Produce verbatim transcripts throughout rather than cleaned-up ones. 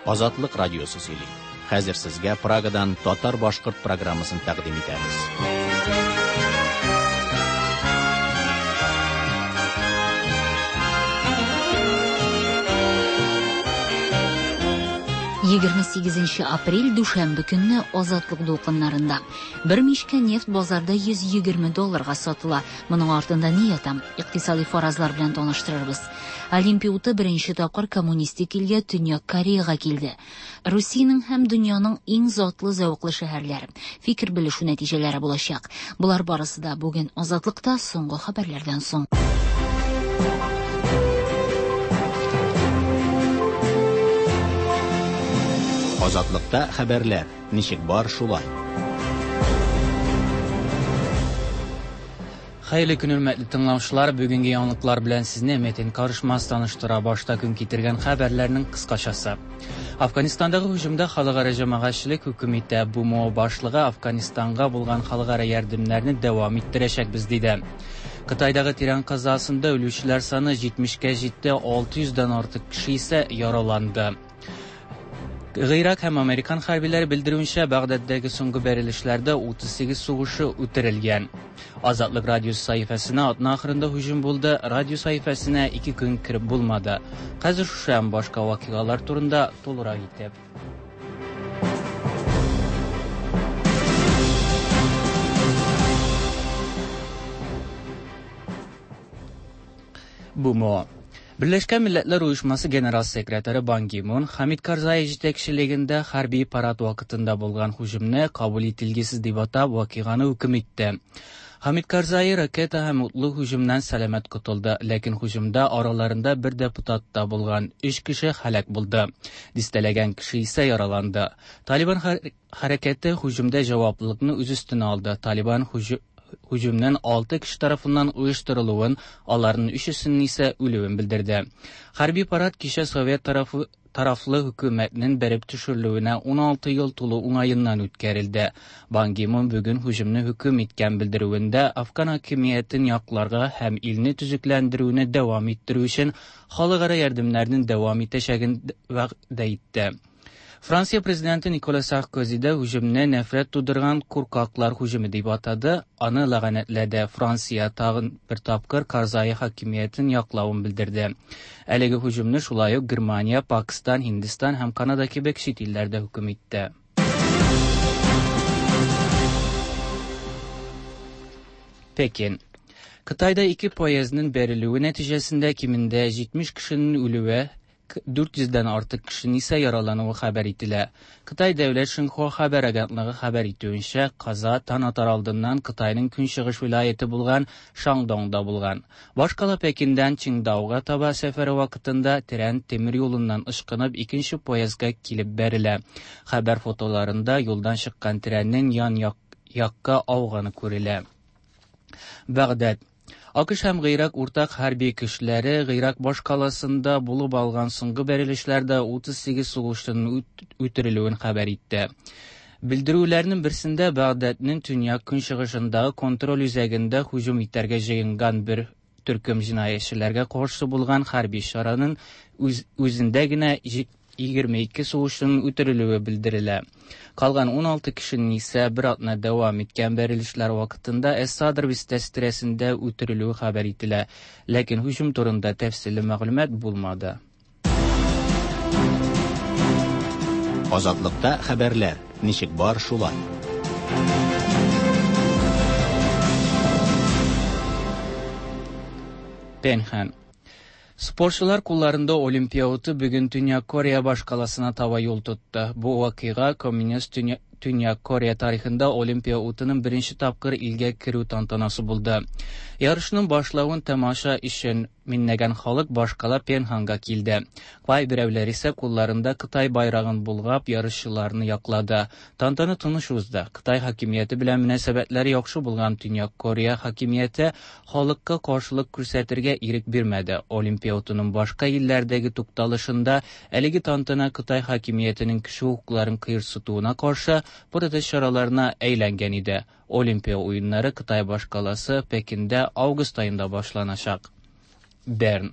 Азатлык радиосы сөйли. Хәзер сезгә Прагадан татар-башкорт программасын тәкъдим итәбез. Егерме сигезенче апрель дүшәмбе көнне Азатлык дулкыннарында. Бер мичкә нефть базарда йөз егерме долларга сатыла. Моның артында ни ята? Икътисади фаразлар белән таныштырырбыз. Олимпия уты беренче тапкыр коммунистик илгә Төньяк Кореяга килде. Русиянең һәм дөньяның иң затлы зәвыклы шәһәрләре. Фикер белешү нәтиҗәләре булачак. Болар барысы да бүген Азатлыкта соңгы хәбәрләрдән соң. Азатлыкта хәбәрләр ничек бар шулай. Хәерле көн, хөрмәтле тыңлаучылар. Бүгенге яңалыклар белән сезне Метин Карышмас таныштыра. Башта көн китергән хәбәрләрнең кыскачасы. Афганистандагы һөҗүмдә халыкара җәмәгатьчелек хөкем итә. БМО башлыгы Афганистанга булган халыкара ярдәмнәрне дәвам иттерәчәкбез диде. Кытайдагы тирән казасында үлүчеләр саны җитмешкә җитте, алты йөздән артык кеше исә яраланды. Гыйрак һәм Американ хәрбиләре белдерүенчә, Багдаддагы соңгы бәрелешләрдә утыз сигез сугышы үтерелгән. Азатлык радиосы сәхифәсенә атна ахырында һөҗүм булды, радио сәхифәсенә ике көн кереп булмады. Хәзер шушы һәм башка вакыйгалар турында тулырак итеп. БМО. Берләшкән Милләтләр Оешмасы Генерал секретаре Бан Ги Мун Хамид Карзай җитәкчелегендә хәрби парад вакытында булган һөҗүмне кабул ителгесез дип атап вакыйганы хөкем итте. Хамид Карзай ракета һәм утлы һөҗүмнән сәламәт котылды, ләкин һөҗүмдә араларында бер депутат та булган өч кеше һәлак булды. Дистәләгән кеше исә яраланды. Талибан хәрәкәте һөҗүмдә җаваплылыкны үз өстенә алды. Талибан һөҗү-, һөҗүмнең алты кеше тарафыннан оештырылуын, аларның өчесенең исә үлүен белдерде. Хәрби парад кичә Совет тарафы, тарафлы хөкүмәтнең бәреп төшерелүенә ун алты ел тулу уңаеннан үткәрелде. Бан Ги Мун бүген һөҗүмне хөкем иткән белдерүендә Афган хакимиятен якларга һәм илне төзекләндерүне дәвам иттерү өчен халыкара ярдәмнәрнең дәвам итәчәген вәгъдә итте. Франция президенты Никола Саркози дә һөҗүмне нәфрәт тудырган куркаклар һөҗүме дип атады, аны ләгънәтләде. Франция тагын бер тапкыр Карзай хакимиятен яклавын белдерде. Әлеге һөҗүмне шулай ук Германия, Пакистан, Һиндстан һәм Канада кебек чит илләрдә хөкем итте. Пекин. Кытайда ике поездның бәрелүе нәтиҗәсендә кимендә җитмеш кешенең үлүе, дүрт йөздән артык кешенең исә яралануы хәбәр ителә. Кытай дәүләт Шинхуа хәбәр агентлыгы хәбәр итүенчә, каза таң атар алдыннан Кытайның көнчыгыш вилаяте булган Шаңдоңда булган. Башкала Пекиндән Чингдауга таба сәфәре вакытында тирән тимер юлыннан ышкынып икенче поездга килеп бәрелә. Хәбәр фотоларында юлдан чыккан тренның ян як-, якка ауганы күрелә. Багдад. АКШ һәм Гыйрак уртак хәрби көчләре Гыйрак башкаласында булып алган соңгы бәрелешләрдә утыз сигез сугышчының үт-, үтерелүен хәбәр итте. Белдерүләрнең берсендә Багдадның төньяк көнчыгышындагы контроль үзәгендә һөҗүм итәргә җыенган бер төркем җинаятьчеләргә каршы булган хәрби чараның үз-, үзендә генә җи-, егерме ике сугышчының үтерелүе белдерелә. Калган ун алты кешенең исә бер атна дәвам иткән бәрелешләр вакытында Эс-Садр бистәсе тирәсендә үтерелүе хәбәр ителә. Ләкин һөҗүм турында тәфсилле мәгълүмат булмады. Азатлыкта хәбәрләр ничек бар шулай. Пенхан. Спортчылар кулларында Олимпия уты бүген Төньяк Корея башкаласына таба юл тотты. Бу вакыйга коммунист Төнья-, Төньяк Корея тарихында Олимпия утының беренче тапкыр илгә керү тантанасы булды. Ярышның башлавын тамаша өчен миннәгән халык башкала Пенханга килде. Кайберәүләр исә кулларында Кытай байрагын булгап ярышчыларны яклады. Тантана тыныч узды. Кытай хакимияте белән мөнәсәбәтләре яхшы булган Төньяк Корея хакимияте халыкка каршылык күрсәтергә ирек бирмәде. Олимпия утының башка илләрдәге тукталышында әлеге тантана Кытай хакимиятенең кеше хокукларын кыерсытуына каршы протест чараларына әйләнгән иде. Олимпия уеннары Кытай башкаласы Пекиндә август аенда башланачак. Берн.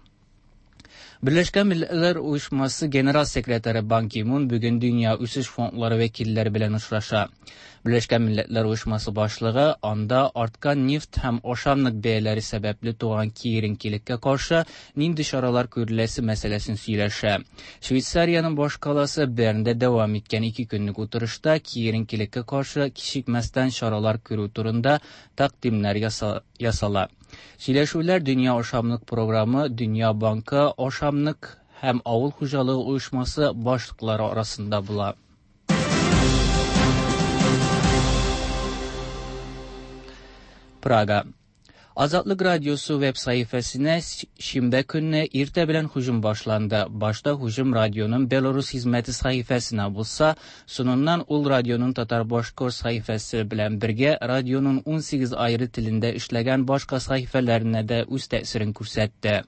Birleşken Milletler Uyuşması General Sekreteri Ban Ki-moon bugün Dünya Үсеш Фондлары вәкилләре белән очраша. Birleşken Milletler Uyuşması башлыгы анда арткан нефть һәм ашамлык бәяләре сәбәпле туган киеренкелеккә каршы нинди чаралар күреләсе мәсьәләсен сөйләшә. Швейцариянең башкаласы Бернда дәвам иткән ике көнлек утырышта киеренкелеккә каршы кичекмәстән чаралар күрү турында тәкъдимнәр ясала. Сөйләшүләр Дөнья ашамлык програмы, Дөнья банкы, ашамлык һәм авыл хуҗалыгы оешмасы башлыклары арасында була. Прага. Azatlık Radyosu web sayfasına şinbə künü irtə bilən hücum başlandı. Başta hücum radyonun Belarus hizməti sayfasına bulsa, sonundan ul radyonun Tatar-Başkor sayfası bilən birgə radyonun on sekiz ayrı tilində işləyən başqa sayfələrinə də öz təsirini göstərdi.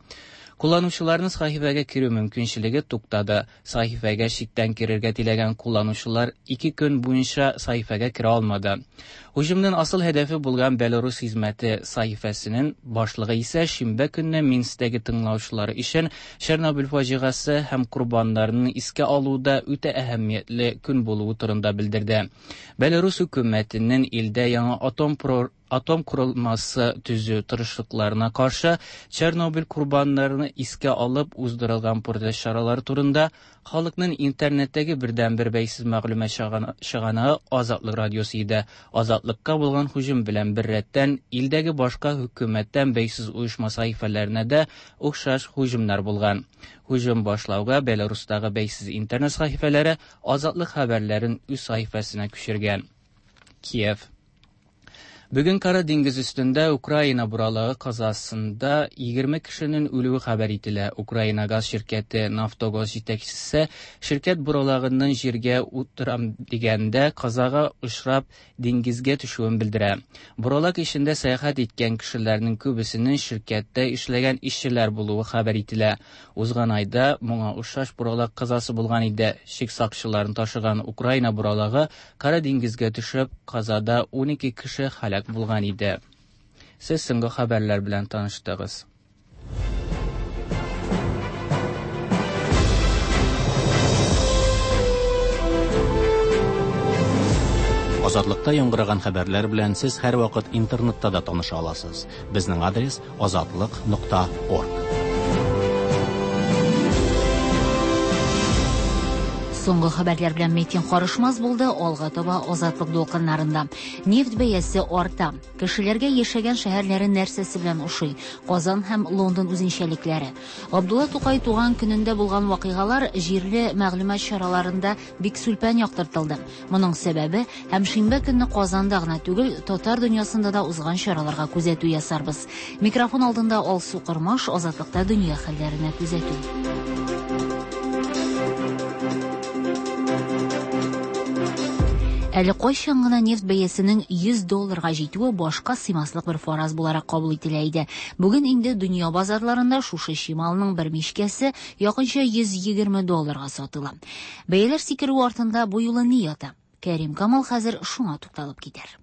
Kullanıcıların sahifəgə kirү mümkünçiligi туктады. Sahifəgə şikdən kirергә теләгән kullanıcılar iki көн буенча sahifəgə kirə алмады. Hücumның asıl hədəfi булган Belarus hizməti sahifəsinin башлыгы исә шимбә көнне Минскдәге тыңлаучылары өчен Чернобыль фаҗигасе һәм корбаннарны искә алуда үтә әһәмиятле көн булуы турында белдерде. Belarus хөкүмәтенең илдә яңа атом атом kurulması төзү тырышлыкларына каршы Чернобыль корбаннарны искә алып уздырылган протест чаралары турында халыкның интернеттәге бердәнбер бәйсез мәгълүмат чыганагы Азатлык радиосы иде. Азатлыкка булган һөҗүм белән беррәттән илдәге башка хөкүмәттән бәйсез оешма сәхифәләренә дә охшаш һөҗүмнәр булган. Һөҗүм башлауга Беларустагы бәйсез интернет сәхифәләре Азатлык хәбәрләрен үз сәхифәсенә күчергән. Киев. Bugün Qara Deniz üstündə Ukrayna buralığı qazasında iyirmi kişinin ölüyü xəbər itilə. Ukrayna qaz şirkəti Naftogaz жетекчisi şirkət buralağından yergə oturam degəndə qazağa uçrab dengizgə düşüyün bildirə. Buralaq işində səyahət etən kişilərinin köbüsünün şirkətdə işləyən işçilər buluğu xəbər itilə. Uzğan ayda buna uşaş buralaq qazası bulğan idi. Şik saqçılarını taşıған Ukrayna buralığı Qara dengizgə düşüb qazada on iki kişi həlak bulğan idi. Siz soñғы xəbərlər bilan tanışdınız. Азатлыкта яңгыраган хәбәрләр белән сез һәр вакыт интернетта да таныша аласыз. Безнең адрес азатлык нокта орг. Соңгы хәбәрләр белән Метин Карышмаз булды. Алга таба Азатлык дулкыннарында. Нефть бәясе арта. Кешеләргә яшәгән шәһәрләре нәрсәсе белән ошый? Казан һәм Лондон үзенчәлекләре. Габдулла Тукай туган көнендә булган вакыйгалар җирле мәгълүмат чараларында бик сүлпән яктыртылды. Моның сәбәбе һәм шимбә көнне Казанда гына түгел, татар дөньясында да узган чараларга күзәтү ясарбыз. Микрофон алдында Алсу Кырмаш, Азатлыкта дөнья хәлләренә күзәтү. Әле кайчан гына нефть бәясенең йөз долларга җитүе башка сыймаслык бер фараз буларак кабул ителә иде. Бүген инде дөнья базарларында шушы чималның бер мишкәсе якынча йөз егерме долларга сатыла. Бәяләр сикерү артында бу юлы ни ята? Кәрим Камал хәзер шуңа тукталып китәр.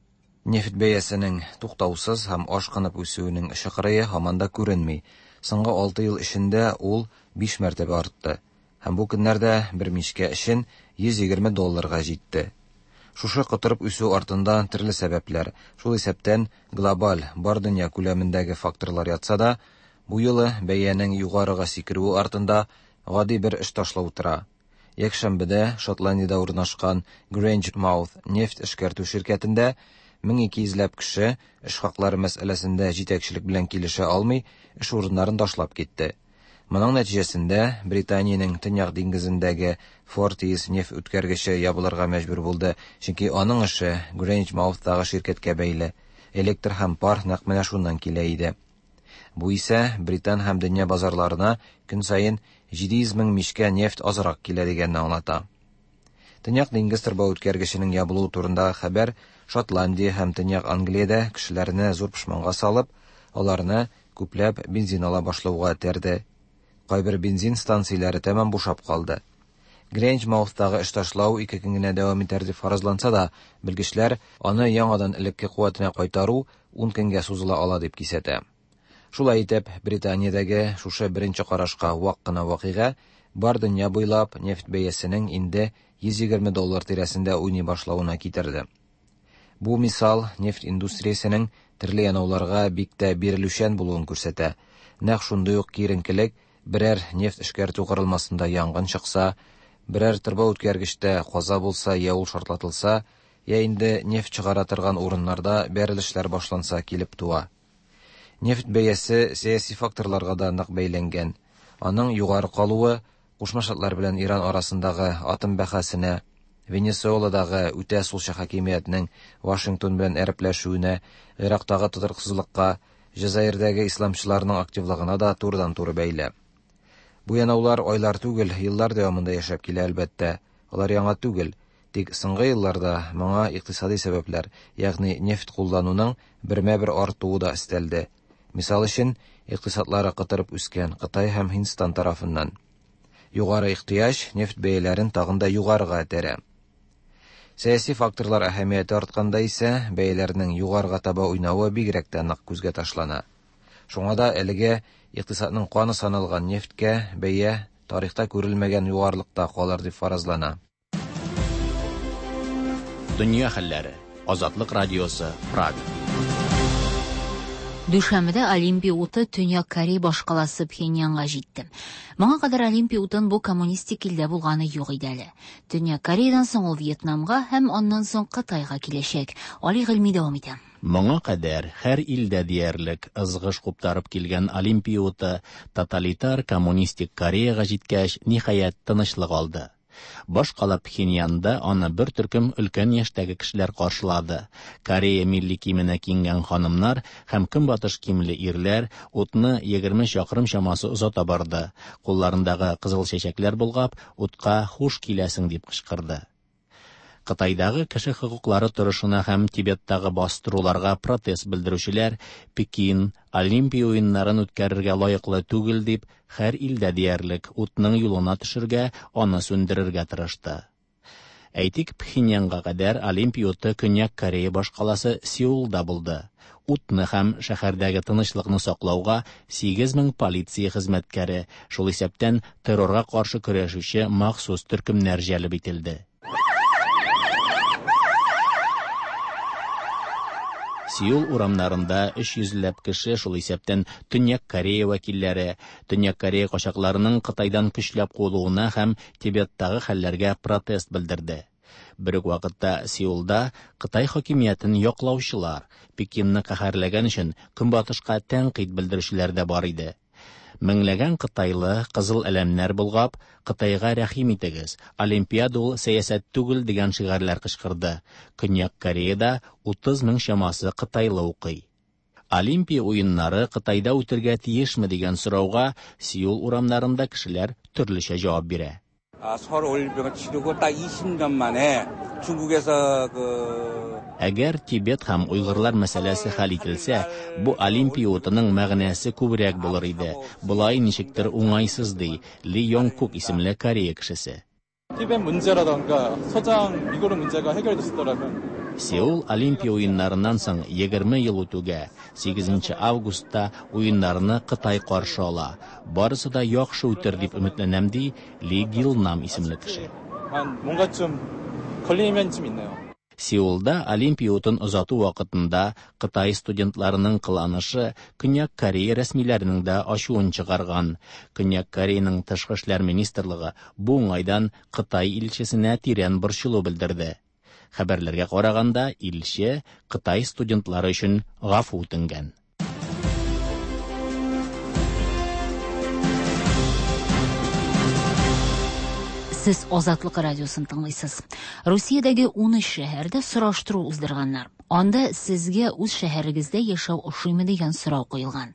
Нефть бәясенең туктаусыз һәм ашкынып үсүенең чыкырые һаман да күренми. Соңгы алты ел эчендә ул биш мәртәбә артты. Һәм бу көннәрдә бер мишкә өчен йөз егерме долларга җитте. Шушы котырып үсү артында төрле сәбәпләр, шул исәптән глобаль бар дөнья күләмендәге факторлар ятса да, бу юлы бәянең югарыга сикерүе артында гади бер эш ташлау тора. Якшәмбедә Шотландиядә урнашкан Grangemouth нефть эшкәртү ширкәтендә мең ике йөзләп кеше эш хаклары мәсьәләсендә җитәкчелек белән килешә алмый, эш урыннарын ташлап китте. Моның нәтиҗәсендә Британиянең Төньяк диңгезендәге Forties нефть үткәргече ябылырга мәҗбүр булды, чөнки аның эше Grangemouth-тагы ширкәткә бәйле. Электр һәм пар нәкъ менә шуннан килә иде. Бу исә Британ һәм дөнья базарларына көн саен җиде йөз мең мишкә нефть азрак килә дигәнне аңлата. Төньяк диңгез торба үткәргеченең ябылуы турындагы хәбәр Шотландия һәм Төньяк Англиядә кешеләрне зур пошманга салып, аларны күпләп бензин ала башлауга этәрде. Кайбер бензин станцияләре тәмам бушап калды. Grangemouth-тагы эш ташлау ике көн генә дәвам итәр дип фаразланса да, белгечләр аны яңадан элекке куәтенә кайтару ун көнгә сузыла ала дип кисәтә. Шулай итеп, Британиядәге шушы беренче карашка вак кына вакыйга бар дөнья буйлап нефть бәясенең инде йөз егерме доллар тирәсендә уйный башлавына китерде. Бу мисал нефть индустриясенең төрле янауларга бик тә бирелүчән булуын күрсәтә. Нәкъ шундый ук киеренкелек берәр нефть эшкәртү корылмасында янгын чыкса, берәр торба үткәргечтә каза булса, я ул шартлатылса, я инде нефть чыгара торган урыннарда бәрелешләр башланса килеп туа. Нефть бәясе сәяси факторларга да нык бәйләнгән. Аның югары калуы Кушма Штатлар белән Иран арасындагы атом бәхәсенә, Венесуэладагы үтә сулчы хакимиятнең Вашингтон белән әрепләшүенә, Ирактагы тотрыксызлыкка, Җәзаирдәге исламчыларның активлыгына да турыдан-туры бәйле. Бу янаулар айлар түгел, еллар дәвамында яшәп килә әлбәттә. Алар яңа түгел. Тик соңгы елларда моңа икътисади сәбәпләр, ягъни нефть куллануның бермә-бер артуы да өстәлде. Мисал өчен, икътисадлары кытырып үскән Кытай һәм Һиндстан тарафыннан. Югары ихтыяҗ нефть бәяләрен тагын да югарыга этәрә. Сәяси факторлар әһәмияте артканда исә бәяләрнең югарыга таба уйнавы бигрәк тә нык күзгә ташлана. Шуңа да әлегә икътисадның каны саналган нефтькә бәя тарихта күрелмәгән югарылыкта калыр дип фаразлана. Дөнья хәлләре. Азатлык радиосы, Прага. Дүшәмбедә Олимпия уты Төньяк Корея башкаласы Пхеньянга җитте. Моңа кадәр Олимпия утын бу коммунистик илдә булганы юк иде әле. Төньяк Кореядан соң ул Вьетнамга һәм аннан соң Кытайга киләчәк. Али Гыйльми дәвам итә. Моңа кадәр һәр илдә диярлек ызгыш куптарып килгән Олимпия уты тоталитар коммунистик Кореяга җиткәч, ниһаять тынычлык алды. Башкала Пхеньянда аны бер төркем өлкән яшьтәге кешеләр каршылады. Корея милли киеменә киенгән ханымнар һәм көнбатыш киемле ирләр утны егерме чакрым чамасы озата барды. Кулларындагы кызыл чәчәкләр болгап, утка хуш киләсең дип кычкырды. Кытайдагы кеше хокуклары торышына һәм Тибеттагы бастыруларга протест белдерүчеләр Пекин Олимпия уеннарын үткәрергә лаеклы түгел дип һәр илдә диярлек утның юлына төшергә, аны сүндерергә тырышты. Әйтик, Пхеньянга кадәр Олимпия уты Көньяк Корея башкаласы Сеулда булды. Утны һәм шәһәрдәге тынычлыкны саклауга сигез мең полиция хезмәткәре, шул исәптән террорга каршы көрәшүче махсус төркемнәр җәлеп ителде. Сеул урамнарында өч йөзләп кеше, шул исәптән Төньяк Корея вәкилләре, Төньяк Корея качакларының Кытайдан көчләп куылуына һәм Тибеттагы хәлләргә протест белдерде. Бер үк вакытта Сеулда Кытай хакимиятен яклаучылар, Пекинны каһәрләгән өчен Көнбатышка тәнкыйть белдерүчеләр дә бар иде. Меңләгән кытайлы кызыл әләмнәр болгап, Кытайга рәхим итегез, Олимпиада ул сәясәт түгел дигән шигарьләр кычкырды. Көньяк Кореяда утыз мең чамасы кытайлы укый. Олимпия уеннары Кытайда үтергә тиешме дигән сорауга Сеул урамнарында кешеләр төрлечә җавап бирә. 서울 올림픽을 치르고 딱 이십 년 만에 중국에서 그 Әгәр Тибет һәм уйгырлар мәсьәләсе хәл ителсә, бу Олимпия утының мәгънәсе күбрәк булыр иде. Болай ничектер уңайсыз ди Ли Йонг-кук исемле Корея кешесе. Тибет 문제라던가 서장 위구르 문제가 해결됐었더라면 Сеул Олимпия уеннарыннан соң егерме ел үтүгә, сигезенче августта уеннарны Кытай каршы ала. Барысы да яхшы үтер дип өметләнәм, ди Ли Гилнам исемле кеше. 한 뭔가 좀 걸리는 면이 좀 있네요. Сеулда Олимпия утын озату вакытында Кытай студентларының кыланышы Көньяк Корея рәсмиләренең дә ачуын чыгарган. Көньяк Кореяның тышкы эшләр министрлыгы бу уңайдан Кытай илчесенә тирән борчылу белдерде. Хәбәрләргә караганда, илче Кытай студентлары өчен гафу үтенгән. Сез Азатлык радиосын тыңлыйсыз. Русиядәге ун өч шәһәрдә сораштыру уздырганнар. Анда сезгә үз шәһәрегездә яшәү ошыймы дигән сорау куелган.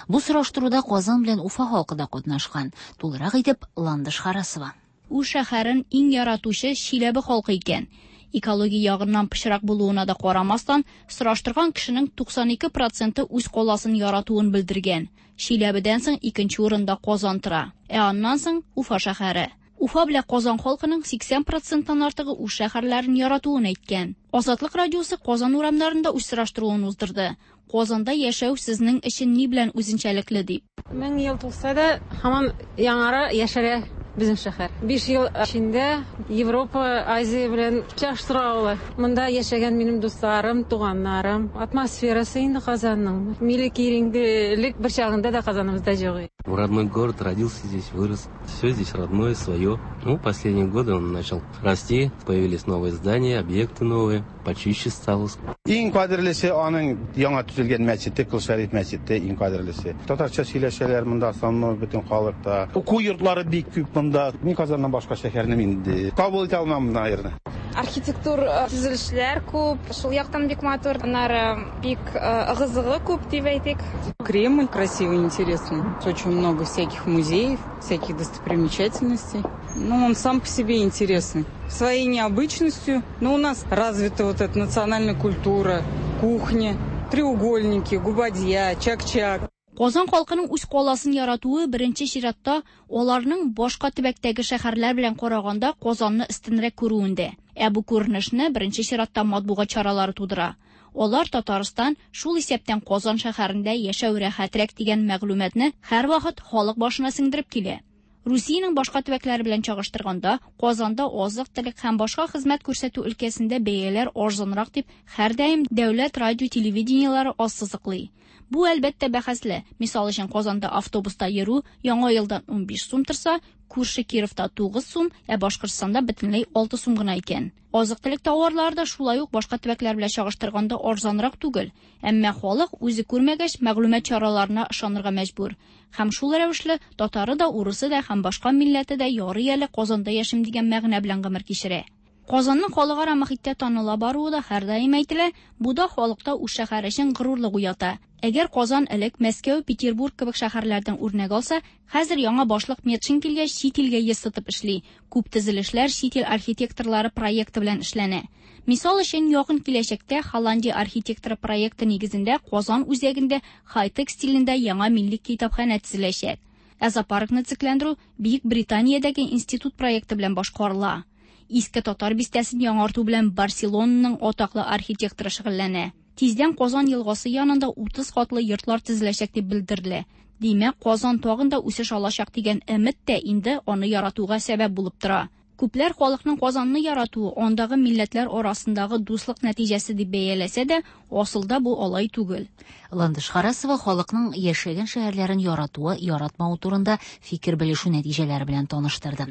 Бу сораштыруда Казан белән Уфа халкы да катнашкан. Тулырак итеп Ландыш Харасова. Үз шәһәрен иң яратучы Чиләбе халкы икән. Экология ягыннан пычрак булуына да карамастан, сораштырган кешенең туксан ике проценты үз каласын яратуын белдергән. Чиләбедән соң икенче урында Казан тора, ә аннан соң Уфа шәһәре. Уфа белән Казан халкының сиксән проценттан артыгы үз шәһәрләрен яратуын әйткән. Азатлык радиосы Казан урамнарында үз сораштыруын уздырды. Казанда яшәү сезнең өчен ни белән үзенчәлекле дип. Мең ел тулса да, һаман яңара, яшәрә безнең шәһәр. Биш ел эчендә Европа, Азия белән чагыштыра ала. Монда яшәгән минем дусларым, туганнарым. Атмосферасы инде Казанның. Милли киеренкелек бер чагында да Казаныбызда юк. Родной город, родился здесь, вырос. Все здесь родное, свое. Ну, последние годы он начал расти, появились новые здания, объекты новые, почище стало. Иң кадерлесе аның яңа төзелгән мәчете, Кол Шәриф мәчете иң кадерлесе. Татарча сөйләшәләр монда, основной бөтен халыкта. Уку йортлары бик күп монда. Мин Казаннан башка шәһәрне мин инде кабул итә алмам, наверное. Архитектур төзелешләр күп, шул яктан бик матур, аннары бик ыгы-зыгы күп дип әйтик. Кремль красивый, интересный. Очень много всяких музеев, всяких достопримечательностей. Ну, он сам по себе интересный. Своей необычностью. Но у нас развита вот эта национальная культура, кухня, треугольники, губадья, чак-чак. Казан халкының үз каласын яратуы беренче чиратта аларның башка төбәктәге шәһәрләр белән караганда Казанны өстенрәк күрүендә. Ә бу күренешне беренче чиратта матбугат чаралары тудыра. Алар Татарстан, шул исәптән Казан шәһәрендә яшәү рәхәтрәк дигән мәгълүматны һәрвакыт халык башына сеңдереп килә. Русиянең башка төбәкләре белән чагыштырганда, Казанда азык-төлек һәм башка хезмәт күрсәтү өлкәсендә бәяләр арзанрак дип һәрдаим дәүләт радио телевидениеләре ассызыклый. Бу әлбәттә бәхәсле. Мисал өчен, Казанда автобуста йөрү яңа елдан унбиш сум торса, күрше Кировта тугыз сум, ә Башкортстанда бөтенләй алты сум гына икән. Азык-төлек тауарлары да шулай ук башка төбәкләр белән чагыштырганда арзанрак түгел. Әмма халык үзе күрмәгәч мәгълүмат чараларына ышанырга мәҗбүр. Һәм шул рәвешле татары да, урысы да һәм башка милләте дә ярый әле Казанда яшим дигән мәгънә белән гомер кичерә. Казанның халыкара мохиттә таныла баруы да һәрдаим әйтелә, бу да халыкта үз шәһәре өчен горурлык уята. Әгәр Казан элек Мәскәү, Петербург кебек шәһәрләрдән үрнәк алса, хәзер яңа башлык Метшин килгәч чит илгә йөз тотып эшли. Күп төзелешләр чит ил архитекторлары проекты белән эшләнә. Мисал өчен, якын киләчәктә Холландия архитекторы проекты нигезендә Казан үзәгендә хай-тек стилендә яңа милли китапханә төзеләчәк. Ә зоопаркны төзекләндерү Бөек Британиядәге институт проекты белән башкарыла. Иске татар бистәсен яңарту белән Барселонаның атаклы архитекторы шөгыльләнә. Тиздән Казан елгасы янында утыз катлы йортлар төзеләчәк дип белдерелә. Димәк, Казан тагын да үсеш алачак дигән өмет тә инде аны яратуга сәбәп булып тора. Күпләр халыкның Казанны яратуы андагы милләтләр арасындагы дуслык нәтиҗәсе дип бәяләсә дә, асылда бу алай түгел. Ландыш Харасова халыкның яшәгән шәһәрләрен яратуы, яратмавы турында фикер белешү нәтиҗәләре белән таныштырды.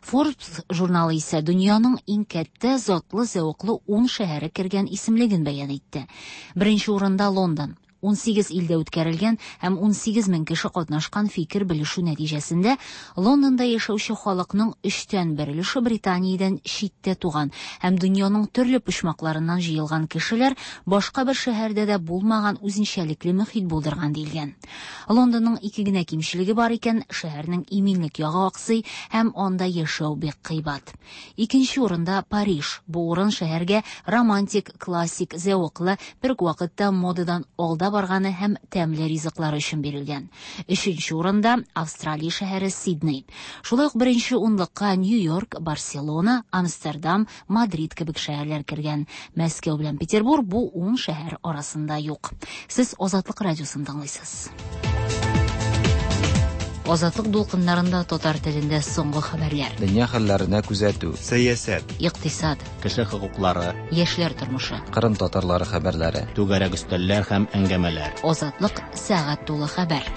Forbes журналы исә дөньяның иң кәттә затлы зәвыклы ун шәһәре кергән исемлеген бәян итте. Беренче урында Лондон. ун сигез илдә үткәрелгән һәм ун сигез мең кеше катнашкан фикер белешү нәтиҗәсендә Лондонда яшәүче халыкның өчтән бер өлеше Британиядән читтә туган һәм дөньяның төрле почмакларыннан җыелган кешеләр башка бер шәһәрдә дә булмаган үзенчәлекле мөхит булдырган диелгән. Лондонның ике генә кимчелеге бар икән, шәһәрнең иминлек ягы аксый һәм анда яшәү бик кыйбат. Икенче урында Париж. Бу урын шәһәргә романтик, классик, зәвыклы, бер үк вакытта модадан алда барганы һәм тәмле ризыклар өчен бирелгән. Өченче урында Австралия шәһәре Сидней. Шулай ук беренче унлыкка Нью-Йорк, Барселона, Амстердам, Мадрид кебек шәһәрләр кергән. Мәскәү белән Петербург бу ун шәһәр арасында юк. Сез Азатлык радиосын тыңлыйсыз. Азатлык дулкыннарында татар телендә соңгы хәбәрләр. Дөнья хәлләренә күзәтү, сәясәт, икътисад, кеше хокуклары, яшьләр тормышы, Кырым татарлары хәбәрләре, түгәрәк өстәлләр һәм әңгәмәләр. Азатлык сәгать тулы хәбәр.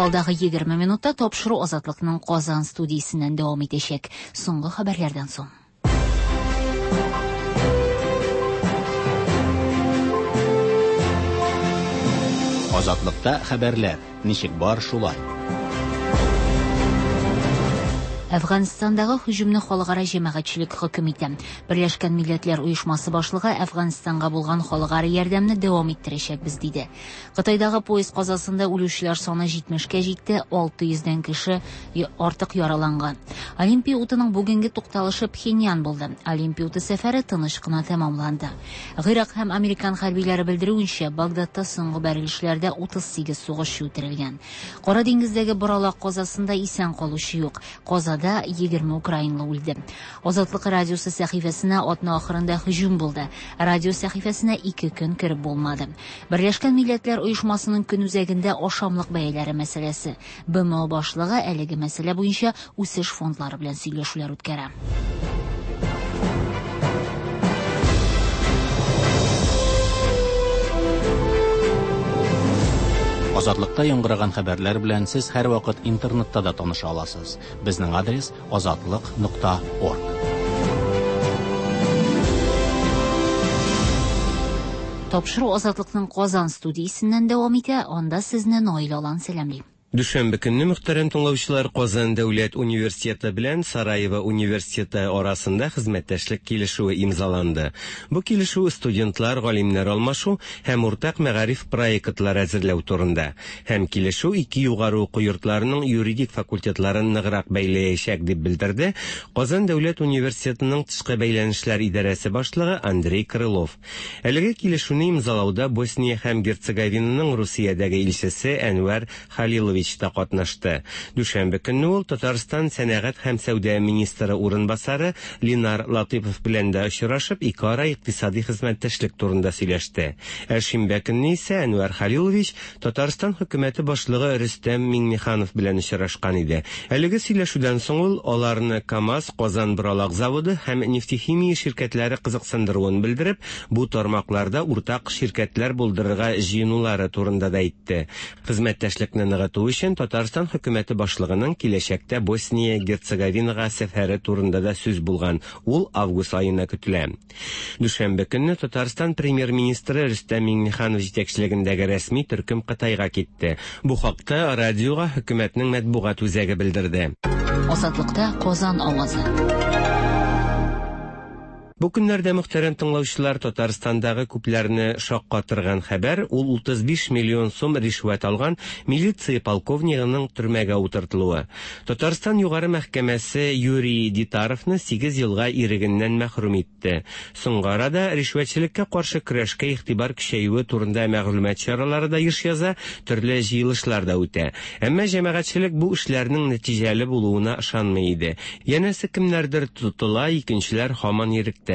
Алдагы егерме минутта тапшыру Азатлыкның Казан студиясеннән дәвам итәчәк. Соңгы хәбәрләрдән соң. Азатлыкта хәбәрләр ничек бар шулай. Әфганстандагы һөҗүмне халыкара җәмәгатьчелек хөкем итә. Берләшкән Милләтләр Оешмасы башлыгы Әфганстанга булган халыкара ярдәмне дәвам иттерәчәкбез диде. Кытайдагы поезд казасында үлүчеләр саны җитмешкә җитте, алты йөздән кеше артык яраланган. Олимпия утының бүгенге тукталышы Пхеньян булды. Олимпия уты сәфәре тыныч кына тәмамланды. Гыйрак һәм американ хәрбиләре белдерүенчә, Багдадта соңгы бәрелешләрдә утыз сигез сугышчы үтерелгән. Кара диңгездәге боралак казасында исән калучы юк. Казада Вакыйгада егерме украинлы үлде. Азатлык радиосы сәхифәсенә атна ахырында һөҗүм булды. Радио сәхифәсенә ике көн кереп булмады. Берләшкән Милләтләр Оешмасының көн үзәгендә ашамлык бәяләре мәсьәләсе. Б М О башлыгы әлеге мәсьәлә буенча үсеш фондлары белән сөйләшүләр үткәрә. Азатлыкта яңгыраган хәбәрләр белән сез һәрвакыт интернетта да таныша аласыз. Безнең адрес азатлык нокта орг. Тапшыру Азатлыкның Казан студиясеннән дәвам итә. Анда сезне Наил Алан сәламли. Дүшәмбе көнне мөхтәрәм тыңлаучылар Казан дәүләт университеты белән Сараево университеты арасында хезмәттәшлек килешүе имзаланды. Бу килешү студентлар, галимнәр алмашу һәм уртак мәгариф проектлары әзерләү турында. Һәм килешү ике югары уку йортларының юридик факультетларын ныграк бәйләячәк дип белдерде Казан дәүләт университетының тышкы бәйләнешләр идарәсе башлыгы Андрей Крылов. Әлеге килешүне имзалауда Босния һәм Герцеговинаның Русиядәге илчесе Әнвәр Халилович та катнашты. Дүшәмбе көнне ул Татарстан сәнәгать һәм сәүдә министры урынбасары Линар Латыпов белән дә очрашып, ике ара икътисади хезмәттәшлек турында сөйләште. Ә шимбә көнне исә Әнвәр Халилович Татарстан хөкүмәте башлыгы Рөстәм Миңнеханов белән очрашкан иде. Әлеге сөйләшүдән соң ул аларны КАМАЗ, Казан Боралак заводы һәм нефтехимия ширкәтләре кызыксындыруын белдереп, бу тармакларда уртак ширкәтләр булдырырга җыенулары турында да әйтте. Хезмәттәшлекне ныгыту өчен Татарстан хөкүмәте башлыгының киләчәктә Босния Герцеговинага сәфәре турында да сүз булган. Ул август аена көтелә. Дүшәмбе көнне Татарстан премьер-министры Рөстәм Миңнеханов җитәкчелегендәге рәсми төркем Кытайга китте. Бу хакта радиога хөкүмәтнең матбугат үзәге белдерде. Азатлыкта Казан авазы. Бу көннәрдә мөхтәрәм тыңлаучылар Татарстандагы күпләрне шаккатырган хәбәр ул утыз биш миллион сум ришвәт алган милиция полковнигының төрмәгә утыртылуы. Татарстан югары мәхкәмәсе Юрий Дитаровны сигез елга ирегеннән мәхрүм итте. Соңгы арада ришвәтчелеккә каршы көрәшкә игътибар көчәюе турында мәгълүмат чаралары да еш яза, төрле җыелышлар да үтә. Әмма җәмәгатьчелек бу эшләрнең нәтиҗәле булуына ышанмый иде. Янәсе кемнәрдер тотыла, икенчеләр һаман иректә.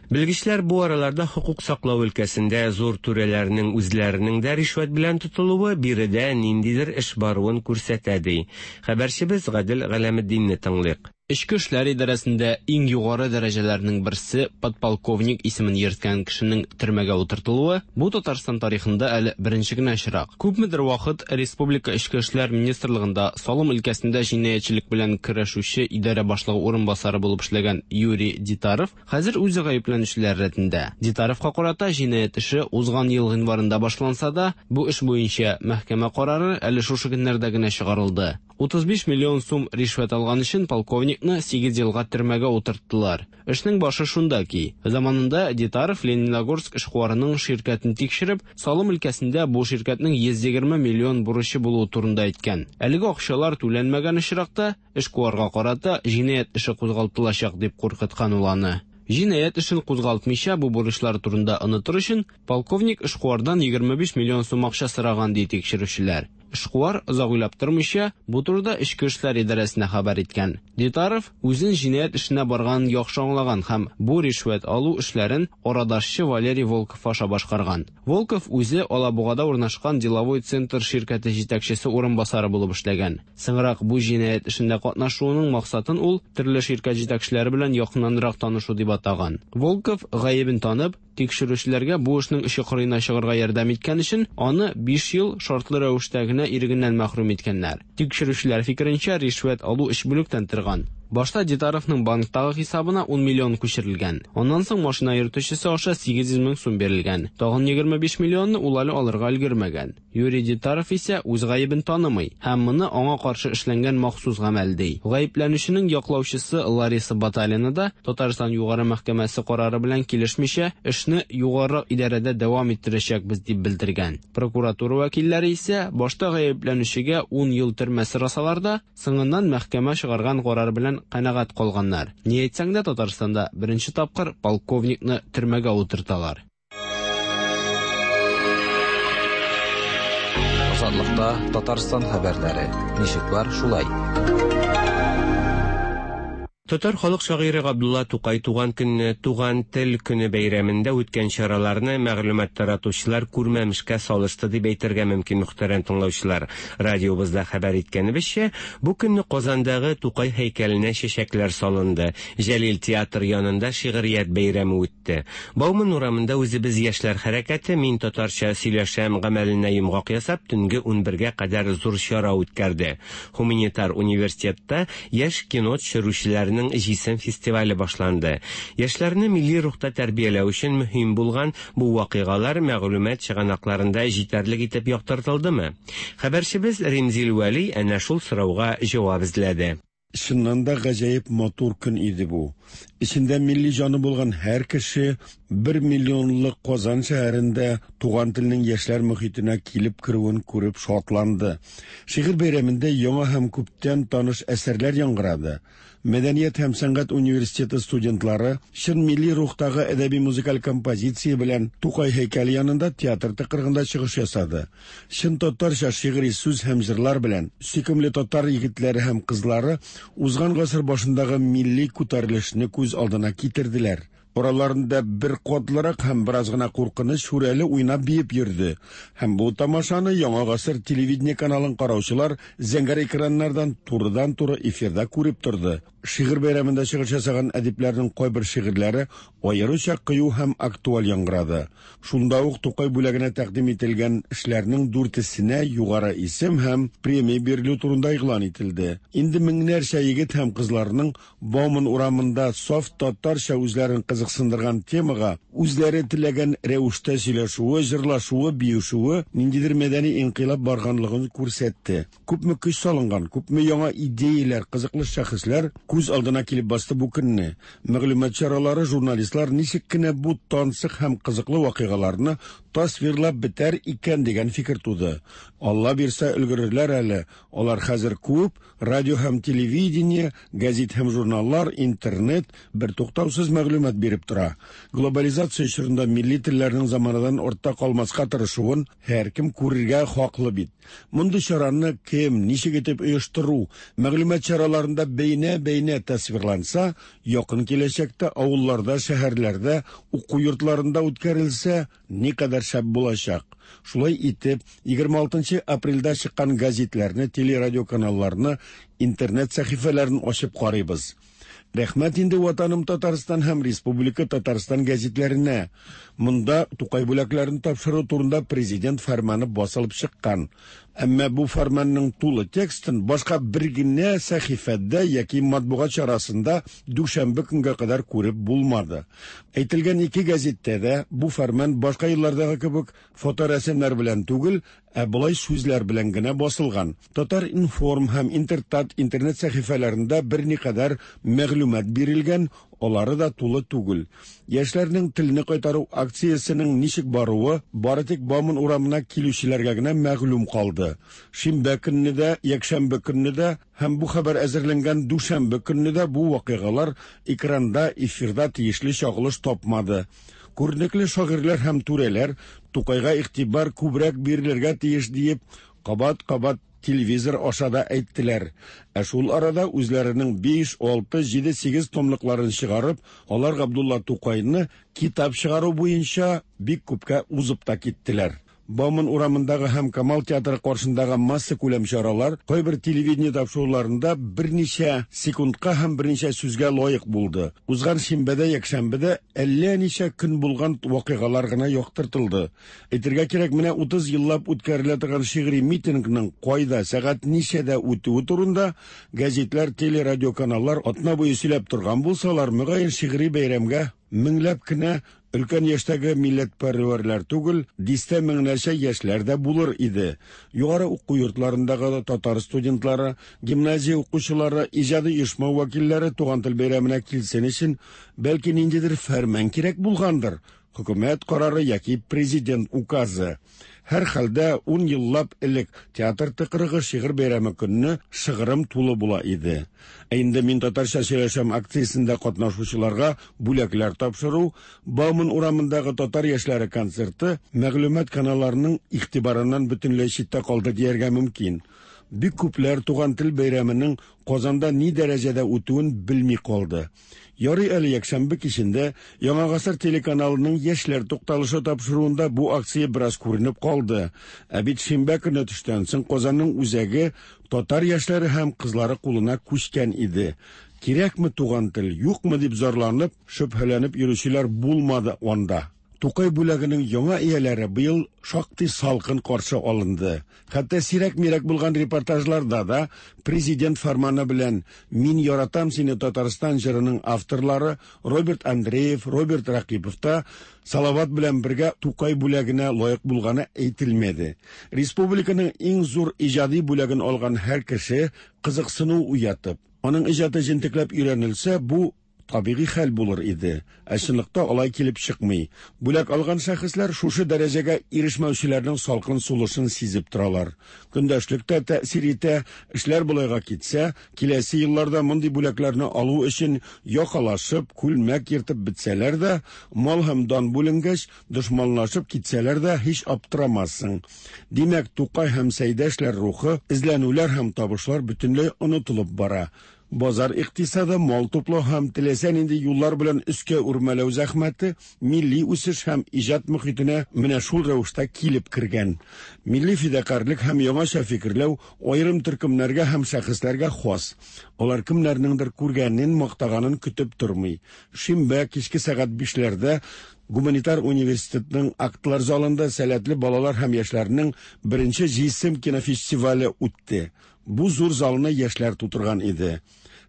Белгечләр бу араларда хокук саклау өлкәсендә зур түрәләрнең үзләренең дә ришвәт белән тотылуы биредә ниндидер эш баруын күрсәтә ди. Хәбәрчебез Гадел Галәметдинне тыңлыйк. Эчке эшләр идарәсендә иң югары дәрәҗәләрнең берсе подполковник исемен йөрткән кешенең төрмәгә утыртылуы бу Татарстан тарихында әле беренче генә очрак. Күпмедер вакыт Республика Эчке эшләр министрлыгында салым өлкәсендә җинаятьчелек белән көрәшүче идарә башлыгы урынбасары булып эшләгән Юрий Дитаров хәзер үзе гаепләнүчеләр рәтендә. Дитаровка карата җинаять эше узган ел гыйнварында башланса да, бу эш буенча мәхкәмә карары әле шушы көннәрдә генә чыгарылды. утыз биш миллион сум ришвәт алган өчен полковникны сигез елга төрмәгә утырттылар. Эшнең башы шунда ки, заманында Дитаров Лениногорск эшкуарының ширкәтен тикшереп, салым өлкәсендә бу ширкәтнең йөз егерме миллион бурычы булуы турында әйткән. Әлеге акчалар түләнмәгән очракта эшкуарга карата җинаять эше кузгалтылачак дип куркыткан ул аны. Җинаять эшен кузгалтмыйча бу бурычлар турында онытыр өчен полковник эшкуардан егерме биш миллион сум акча сораган ди тикшерүчеләр. Эшкуар озак уйлап тормыйча бу турыда Эчке эшләр идарәсенә хәбәр иткән. Дитаров үзен җинаять эшенә барганын яхшы аңлаган һәм бу ришвәт алу эшләрен арадашчы Валерий Волков аша башкарган. Волков үзе Алабугада урнашкан Деловой центр ширкәте җитәкчесе урынбасары булып эшләгән. Соңрак бу җинаять эшендә катнашуының максатын ул төрле ширкәт җитәкчеләре белән якыннанрак танышу дип атаган. Волков гаебен танып, тикшерүчеләргә бу эшнең очы кырыена чыгарга ярдәм иткән өчен аны биш ел шартлы рәвештә генә ирегеннән мәхрүм иткәннәр. Тикшерүчеләр фикеренчә, ришвәт алу өч бүлектән торган. Башта Дитаровның банктагы хисабына ун миллион күчерелгән. Аннан соң машина йөртүчесе аша сигез йөз мең сум бирелгән. Тагын егерме биш миллионны ул әле алырга өлгермәгән. Юрий Дитаров исә үз гаебен танымый һәм моны аңа каршы эшләнгән махсус гамәл ди. Гаепләнүченең яклаучысы Лариса Баталина да Татарстан Югары мәхкәмәсе карары белән килешмичә эшне югары идарәдә дәвам иттерәчәкбез дип белдергән. Прокуратура вәкилләре исә башта гаепләнүчегә ун ел төрмә сорасалар да, соңыннан мәхкәмә чыгарган карар белән канәгать калганнар. Ни әйтсәң дә, Татарстанда беренче тапкыр полковникны төрмәгә утырталар. Азатлыкта Татарстан хәбәрләре. Ничек бар, шулай. Татар халык шагыйре Габдулла Тукай туган көнне Туган тел көне бәйрәмендә үткән чараларны мәгълүмат таратучылар күрмәмешкә салышты дип әйтергә мөмкин, мөхтәрәм тыңлаучылар. Радиобызда хәбәр иткәнебезчә, бу көнне Казандагы Тукай һәйкәленә чәчәкләр салынды. Җәлил театр янында шигърият бәйрәме үтте. Бауман урамында үзебез яшьләр хәрәкәте «Мин татарча сөйләшәм» гамәленә йомгак ясап, төнге унбергә кадәр зур чара үткәрде. Гуманитар университетта яшь кино төшерүчеләрнең Җисем фестивале башланды. Яшьләрне милли рухта тәрбияләү өчен мөһим булган бу вакыйгалар мәгълүмат чыганакларында җитәрлек итеп яктыртылдымы? Хәбәрчебез Римзил Вәли әнә шул сорауга җавап эзләде. Чыннан да гаҗәеп матур көн иде бу. Эчендә милли җаны булган һәр кеше бер миллионлык Казан шәһәрендә туган телнең яшьләр мөхитенә килеп керүен күреп шатланды. Шигырь бәйрәмендә яңа һәм күптән таныш әсәрләр яңгырады. Мәдәният һәм сәнгать университеты студентлары чын милли рухтагы әдәби музыкаль композиция белән Тукай һәйкәле янында театр тыкрыгында чыгыш ясады. Чын татарча шигъри сүз һәм җырлар белән сөйкемле татар егетләре һәм кызлары узган гасыр башындагы милли күтәрелешне күз алдына китерделәр. Араларында бер катлырак һәм бераз гына куркыныч шүрәле уйнап биеп йөрде. Һәм бу тамашаны Яңа гасыр телевидение каналын караучылар зәңгәр экраннардан турыдан-туры эфирда күреп торды. Шигырь бәйрәмендә чыгыш ясаган әдипләрнең кайбер шигырьләре аеруча кыю һәм актуаль яңгырады. Шунда ук Тукай бүләгенә тәкъдим ителгән эшләрнең дүртесенә югары исем һәм премия бирелү турында игълан ителде. Инде меңнәрчә егет һәм кызларның Бауман урамында саф татарча үзләрен кызыксындырган темага үзләре теләгән рәвештә сөйләшүе, җырлашуы, биешүе ниндидер мәдәни инкыйлаб барганлыгын күрсәтте. Күпме көч салынган, күпме яңа идеяләр, кызыклы шәхесләр күз алдына килеп басты бу көнне. Мәгълүмат чаралары, журналистлар ничек кенә бу тансык һәм кызыклы вакыйгаларны тасвирлап бетәр икән дигән фикер туды. Алла бирсә өлгерерләр әле. Алар хәзер күп, радио һәм телевидение, гәзит һәм журналлар, интернет бер туктаусыз мәгълүмат биреп тора. Глобализация чорында милли телләрнең заманадан артта калмаска тырышуын һәркем күрергә хаклы бит. Мондый чараны кем, ничек итеп оештыру, мәгълүмат чараларында бәйнә-бәйнә тасвирланса, якын киләчәктә авылларда, шәһәрләрдә, уку йортларында үткәрелсә, никадәр шәп булачак. Шулай итеп, егерме алтынчы апрельдә чыккан газетләрне, телерадио каналларны, интернет сәхифәләрен ачып карыйбыз. Рәхмәт инде Ватаным Татарстан һәм Республика Татарстан гәзитләренә. Монда Тукай бүләкләрен тапшыру турында президент фәрманы басылып чыккан. Әмма бу фәрманның тулы текстын башка бер генә сәхифәдә яки матбугат чарасында дүшәмбе көнгә кадәр күреп булмады. Әйтелгән ике гәзиттә дә бу фәрман башка еллардагы кебек фоторәсемнәр белән түгел, ә болай сүзләр белән генә басылган. Татар-информ һәм Интертат интернет сәхифәләрендә берникадәр мәгълүмат бирелгән, алары да тулы түгел. Яшьләрнең телне кайтару акциясенең ничек баруы бары тик Бауман урамына килүчеләргә генә мәгълүм калды. Шимбә көнне дә, якшәмбе көнне дә һәм бу хәбәр әзерләнгән дүшәмбе көнне дә бу вакыйгалар экранда, эфирда тиешле чагылыш тапмады. Күренекле шагыйрьләр һәм түрәләр Тукайга игътибар күбрәк бирелергә тиеш диеп кабат-кабат телевизор аша да әйттеләр. Ә шул арада үзләренең биш, алты, җиде, сигез томлыкларын чыгарып, алар Габдулла Тукайны китап чыгару буенча бик күпкә узып та киттеләр. Бауман урамындагы һәм Камал театры каршындагы масса күләм чаралар кайбер телевидение тапшыруларында берничә секундка һәм берничә сүзгә лаек булды. Узган шимбәдә, якшәмбедә әллә ничә көн булган вакыйгалар гына яктыртылды. Әйтергә кирәк, менә утыз еллап үткәрелә торган шигъри митингның кайда, сәгать ничәдә үтүе турында гәзитләр, телерадио каналлар атна буе сөйләп торган булсалар, мөгаен шигъри бәйрәмгә меңләп кенә өлкән яшьтәге милләтпәрвәрләр түгел, дистә меңнәрчә яшьләр дә булыр иде. Югары уку йортларындагы татар студентлары, гимназия укучылары, иҗади оешма вәкилләре туган тел бәйрәменә килсен өчен, бәлки ниндидер фәрман кирәк булгандыр, хөкүмәт карары яки президент указы. Һәр хәлдә ун еллап элек театр тыкрыгы шигырь бәйрәме көнне шыгрым тулы була иде. Ә инде «Мин татарча сөйләшәм» акциясендә катнашучыларга бүләкләр тапшыру, Бауман урамындагы татар яшьләре концерты мәгълүмат каналларының игътибарыннан бөтенләй читтә калды дияргә мөмкин. Бик күпләр туган тел бәйрәменең Казанда ни дәрәҗәдә үтүен белми калды. Ярый әле якшәмбе кичендә Яңа гасыр телеканалының Яшьләр тукталышы тапшыруында бу акция бераз күренеп калды. Ә бит шимбә көне төштән соң Казанның үзәге татар яшьләре һәм кызлары кулына күчкән иде. Кирәкме туган тел, юкмы дип зарланып, шөбһәләнеп йөрүчеләр булмады анда. Тукай бүләгенең яңа ияләре быел шактый салкын каршы алынды. Хәтта сирәк-мирәк булган репортажларда да президент фәрманы белән «Мин яратам сине, Татарстан» җырының авторлары Роберт Андреев, Роберт Ракипов та Салават белән бергә Тукай бүләгенә лаек булганы әйтелмәде. Республиканың иң зур иҗади бүләген алган һәр кеше кызыксыну уятып, аның иҗаты җентекләп өйрәнелсә, бу табигый хәл булыр иде. Ә чынлыкта алай килеп чыкмый. Бүләк алган шәхесләр шушы дәрәҗәгә ирешмәүчеләрнең салкын сулышын сизеп торалар. Көндәшлек тә тәэсир итә, эшләр болайга китсә, киләсе елларда мондый бүләкләрне алу өчен якалашып, күлмәк ертып бетсәләр дә, мал һәм дан бүленгәч, дошманлашып китсәләр дә һич аптырамассың. Димәк, Тукай һәм Сәйдәшләр рухы, эзләнүләр һәм табышлар бөтенләй онытылып бара. Базар икътисады, мал туплау һәм теләсә нинди юллар белән өскә үрмәләү зәхмәте милли үсеш һәм иҗат мөхитенә менә шул рәвештә килеп кергән. Милли фидакарьлек һәм яңача фикерләү аерым төркемнәргә һәм шәхесләргә хас. Алар кемнәрнеңдер күргәнен, мактаганын көтеп тормый. Шимбә кичке сәгать бишләрдә Гуманитар университетның актлар залында сәләтле балалар һәм яшьләрнең беренче җисем кинофестивале үтте. Бу зур залны яшьләр тутырган иде.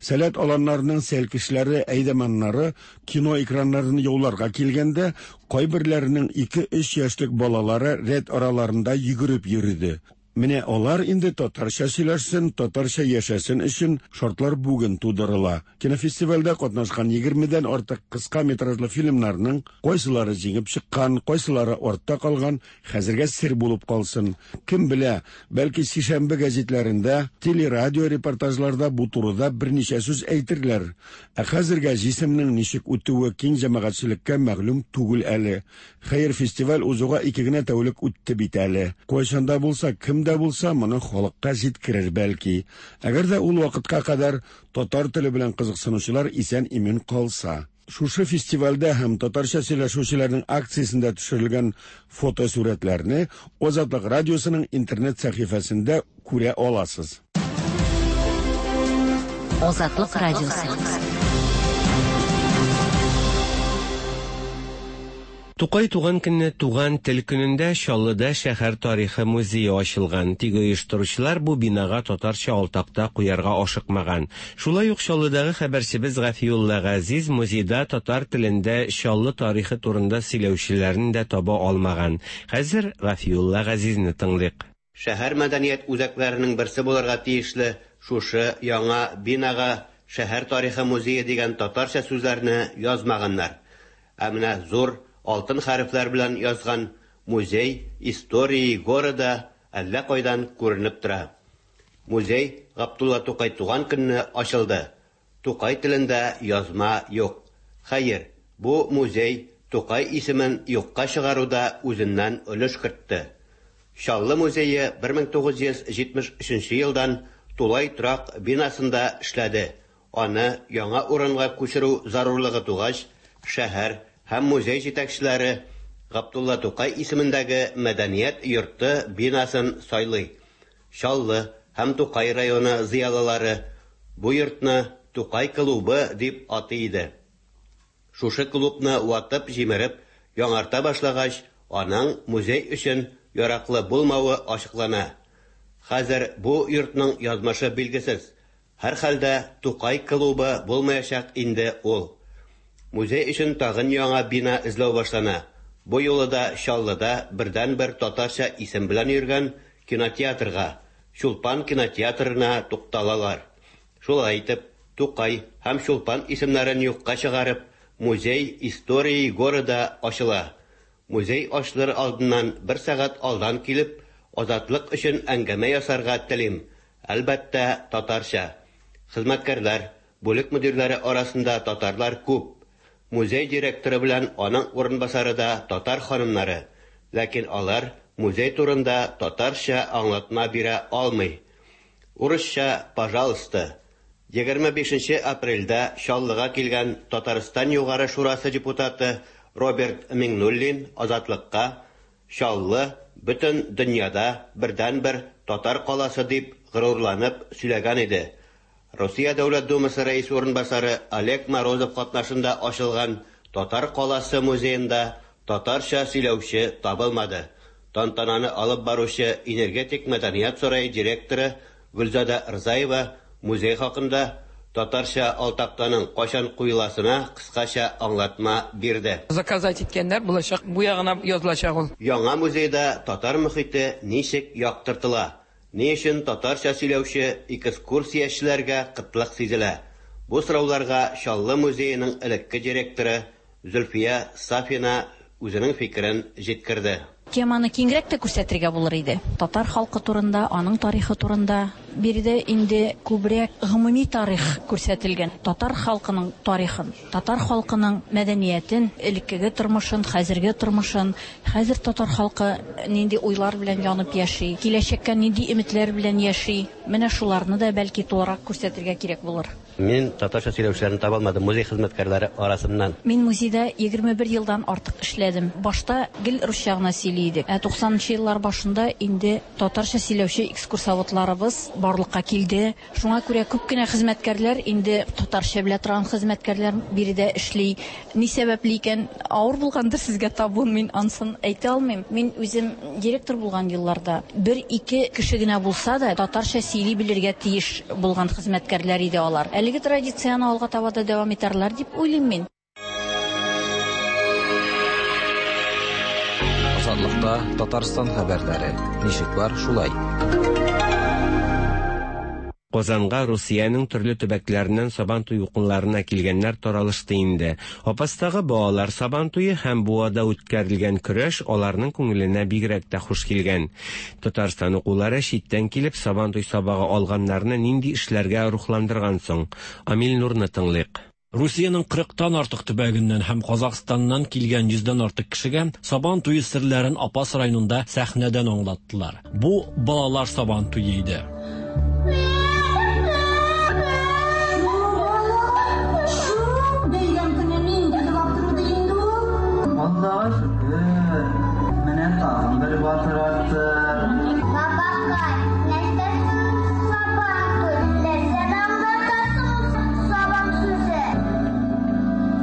Сәләт аланнарының сәлкешләре, әйдәманнары кино экраннарын яуларга килгәндә, кайберләренең ике-өч яшьлек балалары рәт араларында йөгереп йөрде. Менә алар инде татарча сөйләшсен, татарча яшәсен өчен шартлар бүген тудырыла. Кинофестивальдә катнашкан егермедән артык кыска метражлы фильмнарның кайсылары җиңеп чыккан, кайсылары артта калган, хәзергә сер булып калсын. Кем белә, бәлки сишәмбе гәзитләрендә, телерадио репортажларда бу турыда берничә сүз әйтерләр. Ә хәзергә җисемнең ничек үтүе киң җәмәгатьчелеккә мәгълүм түгел әле. Хәер, фестиваль узуга ике генә тәүлек үтте бит әле. Кайчан да булса, кем дә булса, моны халыкка җиткерер бәлки. Әгәр дә ул вакытка кадәр татар теле белән кызыксынучылар исән-имин калса. Шушы фестивальдә һәм татарча сөйләшүчеләрнең акциясендә төшерелгән фотосурәтләрне Азатлык радиосының интернет сәхифәсендә күрә аласыз. Азатлык радиосы. Тукай туган көнне туган тел көнендә Чаллыда шәһәр тарихы музее ачылган. Тик оештыручылар бу бинага татарча алтакта куярга ашыкмаган. Шулай ук Чаллыдагы хәбәрчебез Гафиулла Газиз музейда татар телендә Чаллы тарихы турында сөйләүчеләрне дә таба алмаган. Хәзер Гафиулла Газизне тыңлыйк. Шәһәр мәдәният үзәкләренең берсе булырга тиешле шушы яңа бинага шәһәр тарихы музее дигән татарча сүзләрне язмаганнар. Ә менә зур алтын хәрефләр белән язган «Музей истории города» әллә кайдан күренеп тора. Музей Габдулла Тукай туган көнне ачылды. Тукай телендә язма юк. Хәер, бу музей Тукай исемен юкка чыгаруда үзеннән өлеш кертте. Чаллы музее бер мең тугыз йөз җитмеш өченче елдан тулай торак бинасында эшләде. Аны яңа урынга күчерү зарурлыгы тугач, шәһәр һәм музей җитәкчеләре Габдулла Тукай исемендәге мәдәният йорты бинасын сайлый. Чаллы һәм Тукай районы зыялылары бу йортны Тукай клубы дип атый иде. Шушы клубны ватып җимереп яңарта башлагач, аның музей өчен яраклы булмавы ачыклана. Хәзер бу йортның язмышы билгесез. Һәр хәлдә Тукай клубы булмаячак инде ул. Музей өчен тагын яңа бина эзләү башлана. Бу юлы да Чаллыда бердән-бер татарча исем белән йөргән кинотеатрга, Чулпан кинотеатрына тукталалар. Шулай итеп, Тукай һәм Чулпан исемнәрен юкка чыгарып, музей истории города ачыла. Музей ачылыр алдыннан бер сәгать алдан килеп, Азатлык өчен әңгәмә ясарга телим. Әлбәттә, татарча. Хезмәткәрләр, бүлек мөдирләре арасында татарлар күп. Музей директоры белән аның урынбасары да татар ханымнары, ләкин алар музей турында татарча аңлатма бирә алмый. Урысча «пожалуйста». Егерме бишенче апрельдә Чаллыга килгән Татарстан Югары Шурасы депутаты Роберт Миңнуллин Азатлыкка Чаллы бөтен дөньяда бердәнбер татар каласы дип горурланып сөйләгән иде. Россия Дәүләт Думасы рәисе урынбасары Олег Морозов катнашында ачылган Татар каласы музеенда татарча сөйләүче табылмады. Тантананы алып баручы Энергетик мәдәният сарае директоры Гөлзада Рзаева музей хакында татарча алтактаның кайчан куеласына кыскача аңлатма бирде. Заказать иткәннәр булачак, бу ягына язылачак ул. Яңа музейда татар мөхите ничек яктыртыла? Ни өчен татарча сөйләүче экскурсиячеләргә кытлык сизелә? Бу сорауларга Чаллы музееның элекке директоры Зөлфия Сафина үзенең фикерен җиткерде. Теманы киңрәк тә күрсәтергә булыр иде. Татар халкы турында, аның тарихы турында. Биредә инде күбрәк гомуми тарих күрсәтелгән. Татар халкының тарихын, татар халкының мәдәниятен, элеккеге тормышын, хәзерге тормышын, хәзер татар халкы нинди уйлар белән янып яши, киләчәккә нинди өметләр белән яши. Менә шуларны да бәлки тулырак күрсәтергә кирәк булыр. Мин татарча сөйләүчеләрне таба алмадым музей хезмәткәрләре арасыннан. Мин музейда егерме бер елдан артык эшләдем. Башта гел русча гына сөйли идек. Ә туксанынчы еллар башында инде татарча сөйләүче экскурсоводларыбыз барлыкка килде. Шуңа күрә күп кенә хезмәткәрләр инде татарча белә торган хезмәткәрләр биредә эшли. Ни сәбәпле икән, авыр булгандыр сезгә табуын, мин ансын әйтә алмыйм. Мин үзем директор булган елларда бер-ике кеше генә булса да татарча сөйли белергә тиеш булган хезмәткәрләр иде алар. Әлеге традицияне алга таба да дәвам итәрләр дип уйлыйм мин. Азатлыкта Татарстан хәбәрләре. Ничек бар, шулай. Казанга Русиянең төрле төбәкләреннән Сабантуй укынларына килгәннәр таралышты инде. Апастагы балалар Сабантуе һәм Буада үткәрелгән көрәш аларның күңеленә бигрәк тә хуш килгән. Татарстан укулары читтән килеп Сабантуй сабагы алганнарны нинди эшләргә рухландырган соң? Амил Нурны тыңлыйк. Русиянең кырыктан артык төбәгеннән һәм Казахстаннан килгән йөздән артык кешегә Сабан туе серләрен Апас районында сәхнәдән аңлаттылар. Бу балалар Сабан туе иде. Аллаға шүкір, менә тагын бер батыр артты. Бабакай, нәрсә Сабан туй? Нәрсәне аңлатасың сабан сүзе?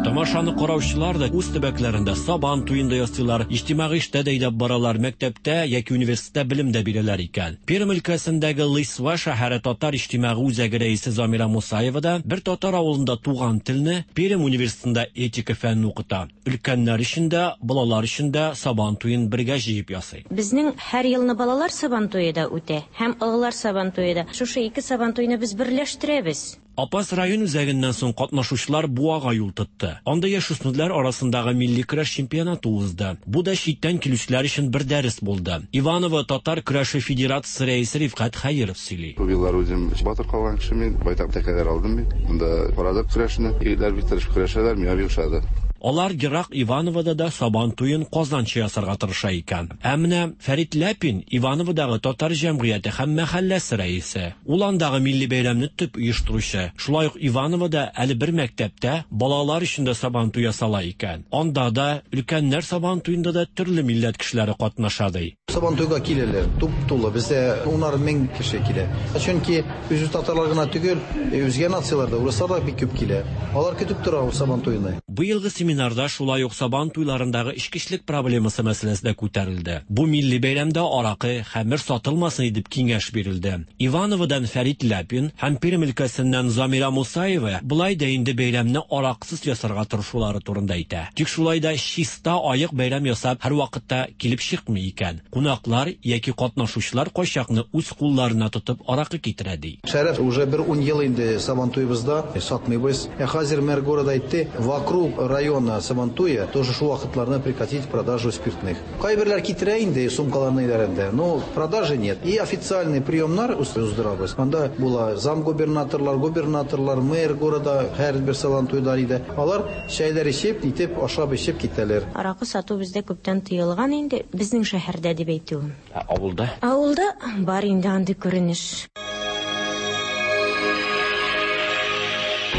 Тамашаны караучылар да үз төбәкләрендә Сабан туен да ясыйлар, иҗтимагый эштә дә әйдәп баралар, мәктәптә яки университетта белем дә бирәләр икән. Пермь өлкәсендәге Лысва шәһәре татар иҗтимагый үзәге рәисе Замира Мусаева да бер татар авылында туган телне Пермь университетында этика фәнен укыта. Өлкәннәр өчен дә, балалар өчен дә Сабан туен бергә җыеп ясый. Безнең һәр елны балалар Сабан туе да үтә, һәм олылар Сабан туе да. Шушы ике Сабан туйны без берләштерәбез. Апас район үзәгеннән соң катнашучылар Буага юл тотты. Анда яшүсмерләр арасындагы милли көрәш чемпионаты узды. Бу да читтән килүчеләр өчен бер дәрес булды. Иваново татар көрәше федерациясе рәисе Рифкать Хәйров сөйли. Күп еллар үзем батыр калган кеше мин, байтак тәкәләр алдым мин. Монда карадык көрәшне. Егетләр бик тырышып көрәшәләр, миңа бик ошады. Алар ерак Ивановода да Сабан туен Казанча ясарга тырыша икән. Ә менә Фәрит Ляпин Ивановодагы татар җәмгыяте һәм мәхәлләсе рәисе. Ул андагы милли бәйрәмне төп оештыручы. Шулай ук Ивановода әле бер мәктәптә балалар өчен дә Сабан туе ясала икән. Анда да өлкәннәр Сабан туенда да төрле милләт кешеләре катнаша ди. Сабан туйга киләләр, туп-тулы. Бездә унар мең кеше килә. Чөнки үзе татарлар гына түгел, үзгә нациялар да, урыслар да бик күп килә. Алар көтеп тора Сабан туйны. Быелгы семинарда шулай ук Сабан туйларындагы эчкечелек проблемасы мәсьәләсе дә күтәрелде. Бу милли бәйрәмдә аракы, хәмер сатылмасын дип киңәш бирелде. Ивановодан Фәрит Ляпин һәм Пермь өлкәсеннән Замира Мусаева болай да инде бәйрәмне араксыз ясарга тырышулары турында әйтә. Тик шулай да чиста аек бәйрәм ясап һәр вакытта килеп чыкмый икән. Кунаклар яки катнашучылар кайчакны үз кулларына тотып аракы китерә ди. Шәрәф уже бер ун ел инде Сабан туебызда сатмыйбыз. Ә хәзер мэр города әйтте, вокруг района Сабантуя тоже шул вакытларны прекратить продажу спиртных. Кайберләр китерә инде сумкаларны өйләрендә, но продажи нет. И официальный приемнар уздырабыз. Анда була замгубернаторлар, губернаторлар, мэр города һәр бер Сабантуйда иде. Алар чәйләр эчеп, итеп, ашап эчеп китәләр. Аракы сату бездә күптән тыелган инде, безнең шәһәрдә дип әйтүем. Ә авылда? Авылда бар инде андый күренеш.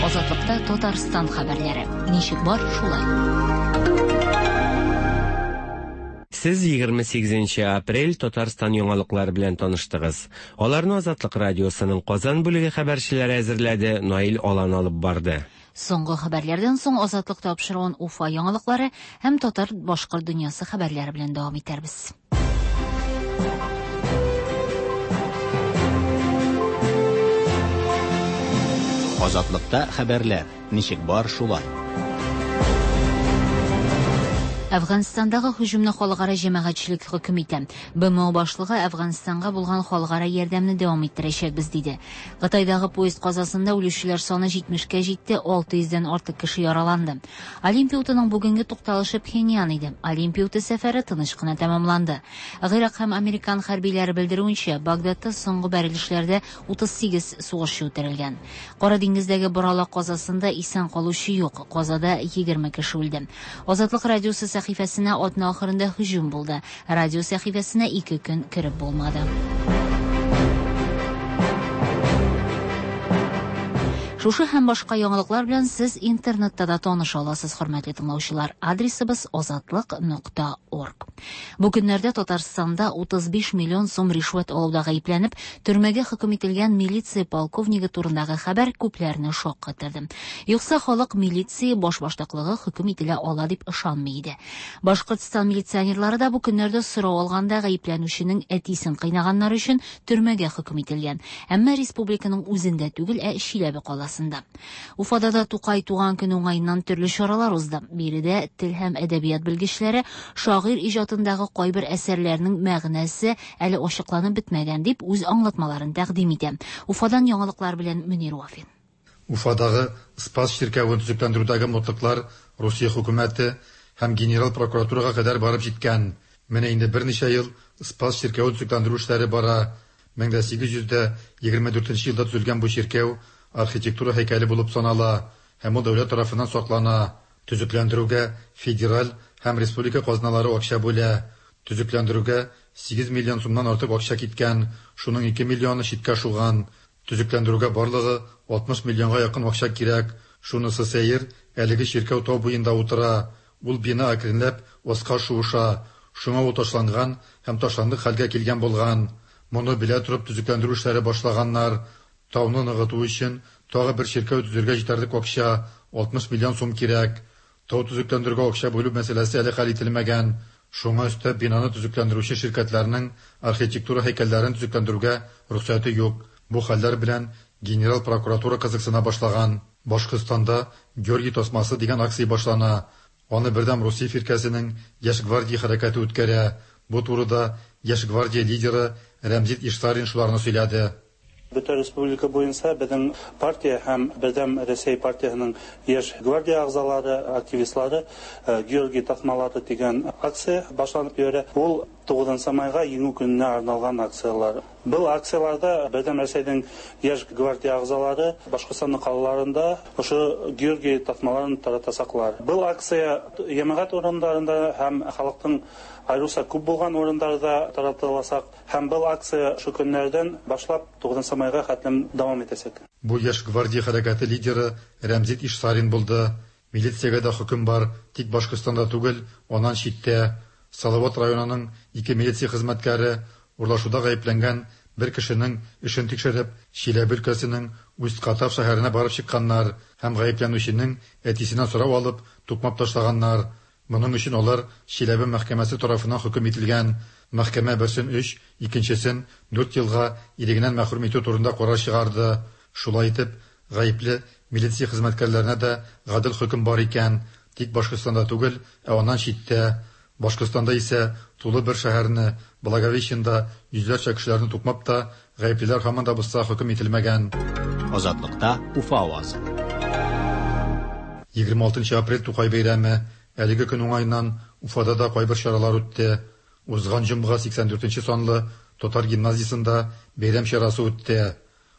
Азатлыкта Татарстан хәбәрләре. Ничек бар, шулай. Сез егерме сигезенче апрель Татарстан яңалыклары белән таныштыгыз. Аларны Азатлык радиосының Казан бүлеге хәбәрчеләре әзерләде, Наил Алан алып барды. Соңгы хәбәрләрдән соң Азатлык тапшыруын Уфа яңалыклары һәм татар башкорт дөньясы хәбәрләре белән дәвам итәрбез. Азатлыкта хәбәрләр. Ничек бар, шулай. Әфганстандагы һөҗүмне халыкара җәмәгатьчелек хөкем итә. Б М О башлыгы Әфганстанга булган халыкара ярдәмне дәвам иттерәчәкбез диде. Кытайдагы поезд казасында үлүчеләр саны җитмешкә җитте, алты йөздән артык кеше яраланды. Олимпия утының бүгенге тукталышы Пхеньян иде. Олимпия уты сәфәре тыныч кына тәмамланды. Гыйрак һәм американ хәрбиләре белдерүенчә, Багдадта соңгы бәрелешләрдә утыз сигез сугышчы үтерелгән. Кара диңгездәге боралак казасында исән калучы юк. Казада егерме кеше үлде. Азатлык радиосы сәхифәсенә атна ахырында һөҗүм булды. Радио сәхифәсенә ике көн кереп булмады. Шушы һәм башка яңалыклар белән сез интернетта да таныша аласыз, хөрмәтле тыңлаучылар. Адресыбыз азатлык нокта орг. Бу көннәрдә Татарстанда утыз биш миллион сум ришвәт алуда гаепләнеп, төрмәгә хөкем ителгән милиция полковнигы турындагы хәбәр күпләрне шаккатырды. Юкса халык милиция башбаштаклыгы хөкем ителә ала дип ышанмый иде. Башкортстан милиционерлары да бу көннәрдә сорау алганда гаепләнүченең әтисен кыйнаганнар өчен төрмәгә хөкем ителгән. Әмма республиканың үзендә түгел, ә Чиләбе каласында. Уфада да Тукай туган көне уңаеннан төрле чаралар узды. Биредә тел һәм әдәбият белгечләре шагыйрь иҗатындагы кайбер әсәрләрнең мәгънәсе әле ачыкланып бетмәгән дип үз аңлатмаларын тәкъдим итә. Уфадан яңалыклар белән Мөнир Вафин. Уфадагы Спас чиркәвен төзекләндерүдәге мутлыклар Русия хөкүмәте һәм генерал прокуратурага кадәр барып җиткән. Менә инде берничә ел Спас чиркәвен төзекләндерү эшләре бара. мең дә сигез йөз дә егерме дүртенче елда төзелгән бу чиркәү архитектура һәйкәле булып санала һәм ул дәүләт тарафыннан саклана. Төзекләндерүгә федераль һәм республика казналары акча бүлә. Төзекләндерүгә сигез миллион сумнан артык акча киткән, шуның ике миллионы читкә шуган. Төзекләндерүгә барлыгы алтмыш миллионга якын акча кирәк. Шунысы сәер, әлеге чиркәү тау буенда утыра. Ул бина әкренләп аска шуыша. Шуңа ул ташланган һәм ташландык хәлгә килгән булган. Моны белә торып төзекләндерү эшләре башлаганнар. Тауны ныгыту өчен тагы бер чиркәү төзергә җитәрлек акча алтмыш миллион сум кирәк. Тау төзекләндерүгә акча бүлү мәсьәләсе әле хәл ителмәгән. Шуңа өстәп бинаны төзекләндерүче ширкәтләрнең архитектура һәйкәлләрен төзекләндерүгә рөхсәте юк. Бу хәлләр белән генерал прокуратура кызыксына башлаган. Башкортстанда Георгий тасмасы дигән акция башлана. Аны Бердәм Русия фиркәсенең Яшь гвардия хәрәкәте үткәрә. Бу турыда Яшь гвардия лидеры Рәмзит Ишсарин шуларны сөйләде. Бөтен республика буенча безнең партия һәм Бердәм Рәсәй партиясенең Яшь гвардия әгъзалары, активистлары Георгий тасмалары дигән акция башланып йөрә. Ул тугызынчы майга Җиңү көненә арналган акциялар. Был акцияларда Бердәм Рәсәйнең Яшь гвардия әгъзалары Башкортстанның калаларында ошо Георгий тасмаларын таратасаклар. Был акция җәмәгать урыннарында һәм халыктың айрыуса күп булган урыннарда таратыласак һәм был акция шу көннәрдән башлап тугызынчы майга хәтлем дәвам итәчәк. Бу Яшь гвардия хәрәкәте лидеры Рәмзит Ишсарин булды. Милициягә дә хөкем бар, тик Башкортстанда түгел, аннан читтә. Салават районының ике милиция хезмәткәре урлашуда гаепләнгән бер кешенең эшен тикшереп, Чиләбе өлкәсенең Усть-Катав шәһәренә барып чыкканнар һәм гаепләнүченең әтисеннән сорау алып, тукмап ташлаганнар. Моның өчен алар Чиләбе мәхкәмәсе тарафыннан хөкем ителгән. Мәхкәмә берсен өч, икенчесен дүрт елга ирегеннән мәхрүм итү турында карар чыгарды. Шулай итеп, гаепле милиция хезмәткәрләренә дә гадел хөкем бар икән, тик Башкортстанда түгел, ә аннан читтә. Башкортстанда исә тулы бер шәһәрне, Благовещенда йөзләрчә кешеләрне тукмап та, гаеплеләр һаман да булса хөкем ителмәгән. Азатлыкта Уфа авазы. Егерме алтынчы апрель Тукай бәйрәме. Әлеге көн уңаеннан Уфада да кайбер чаралар үтте. Узган җомга сиксән дүртенче санлы татар гимназиясендә бәйрәм чарасы үтте.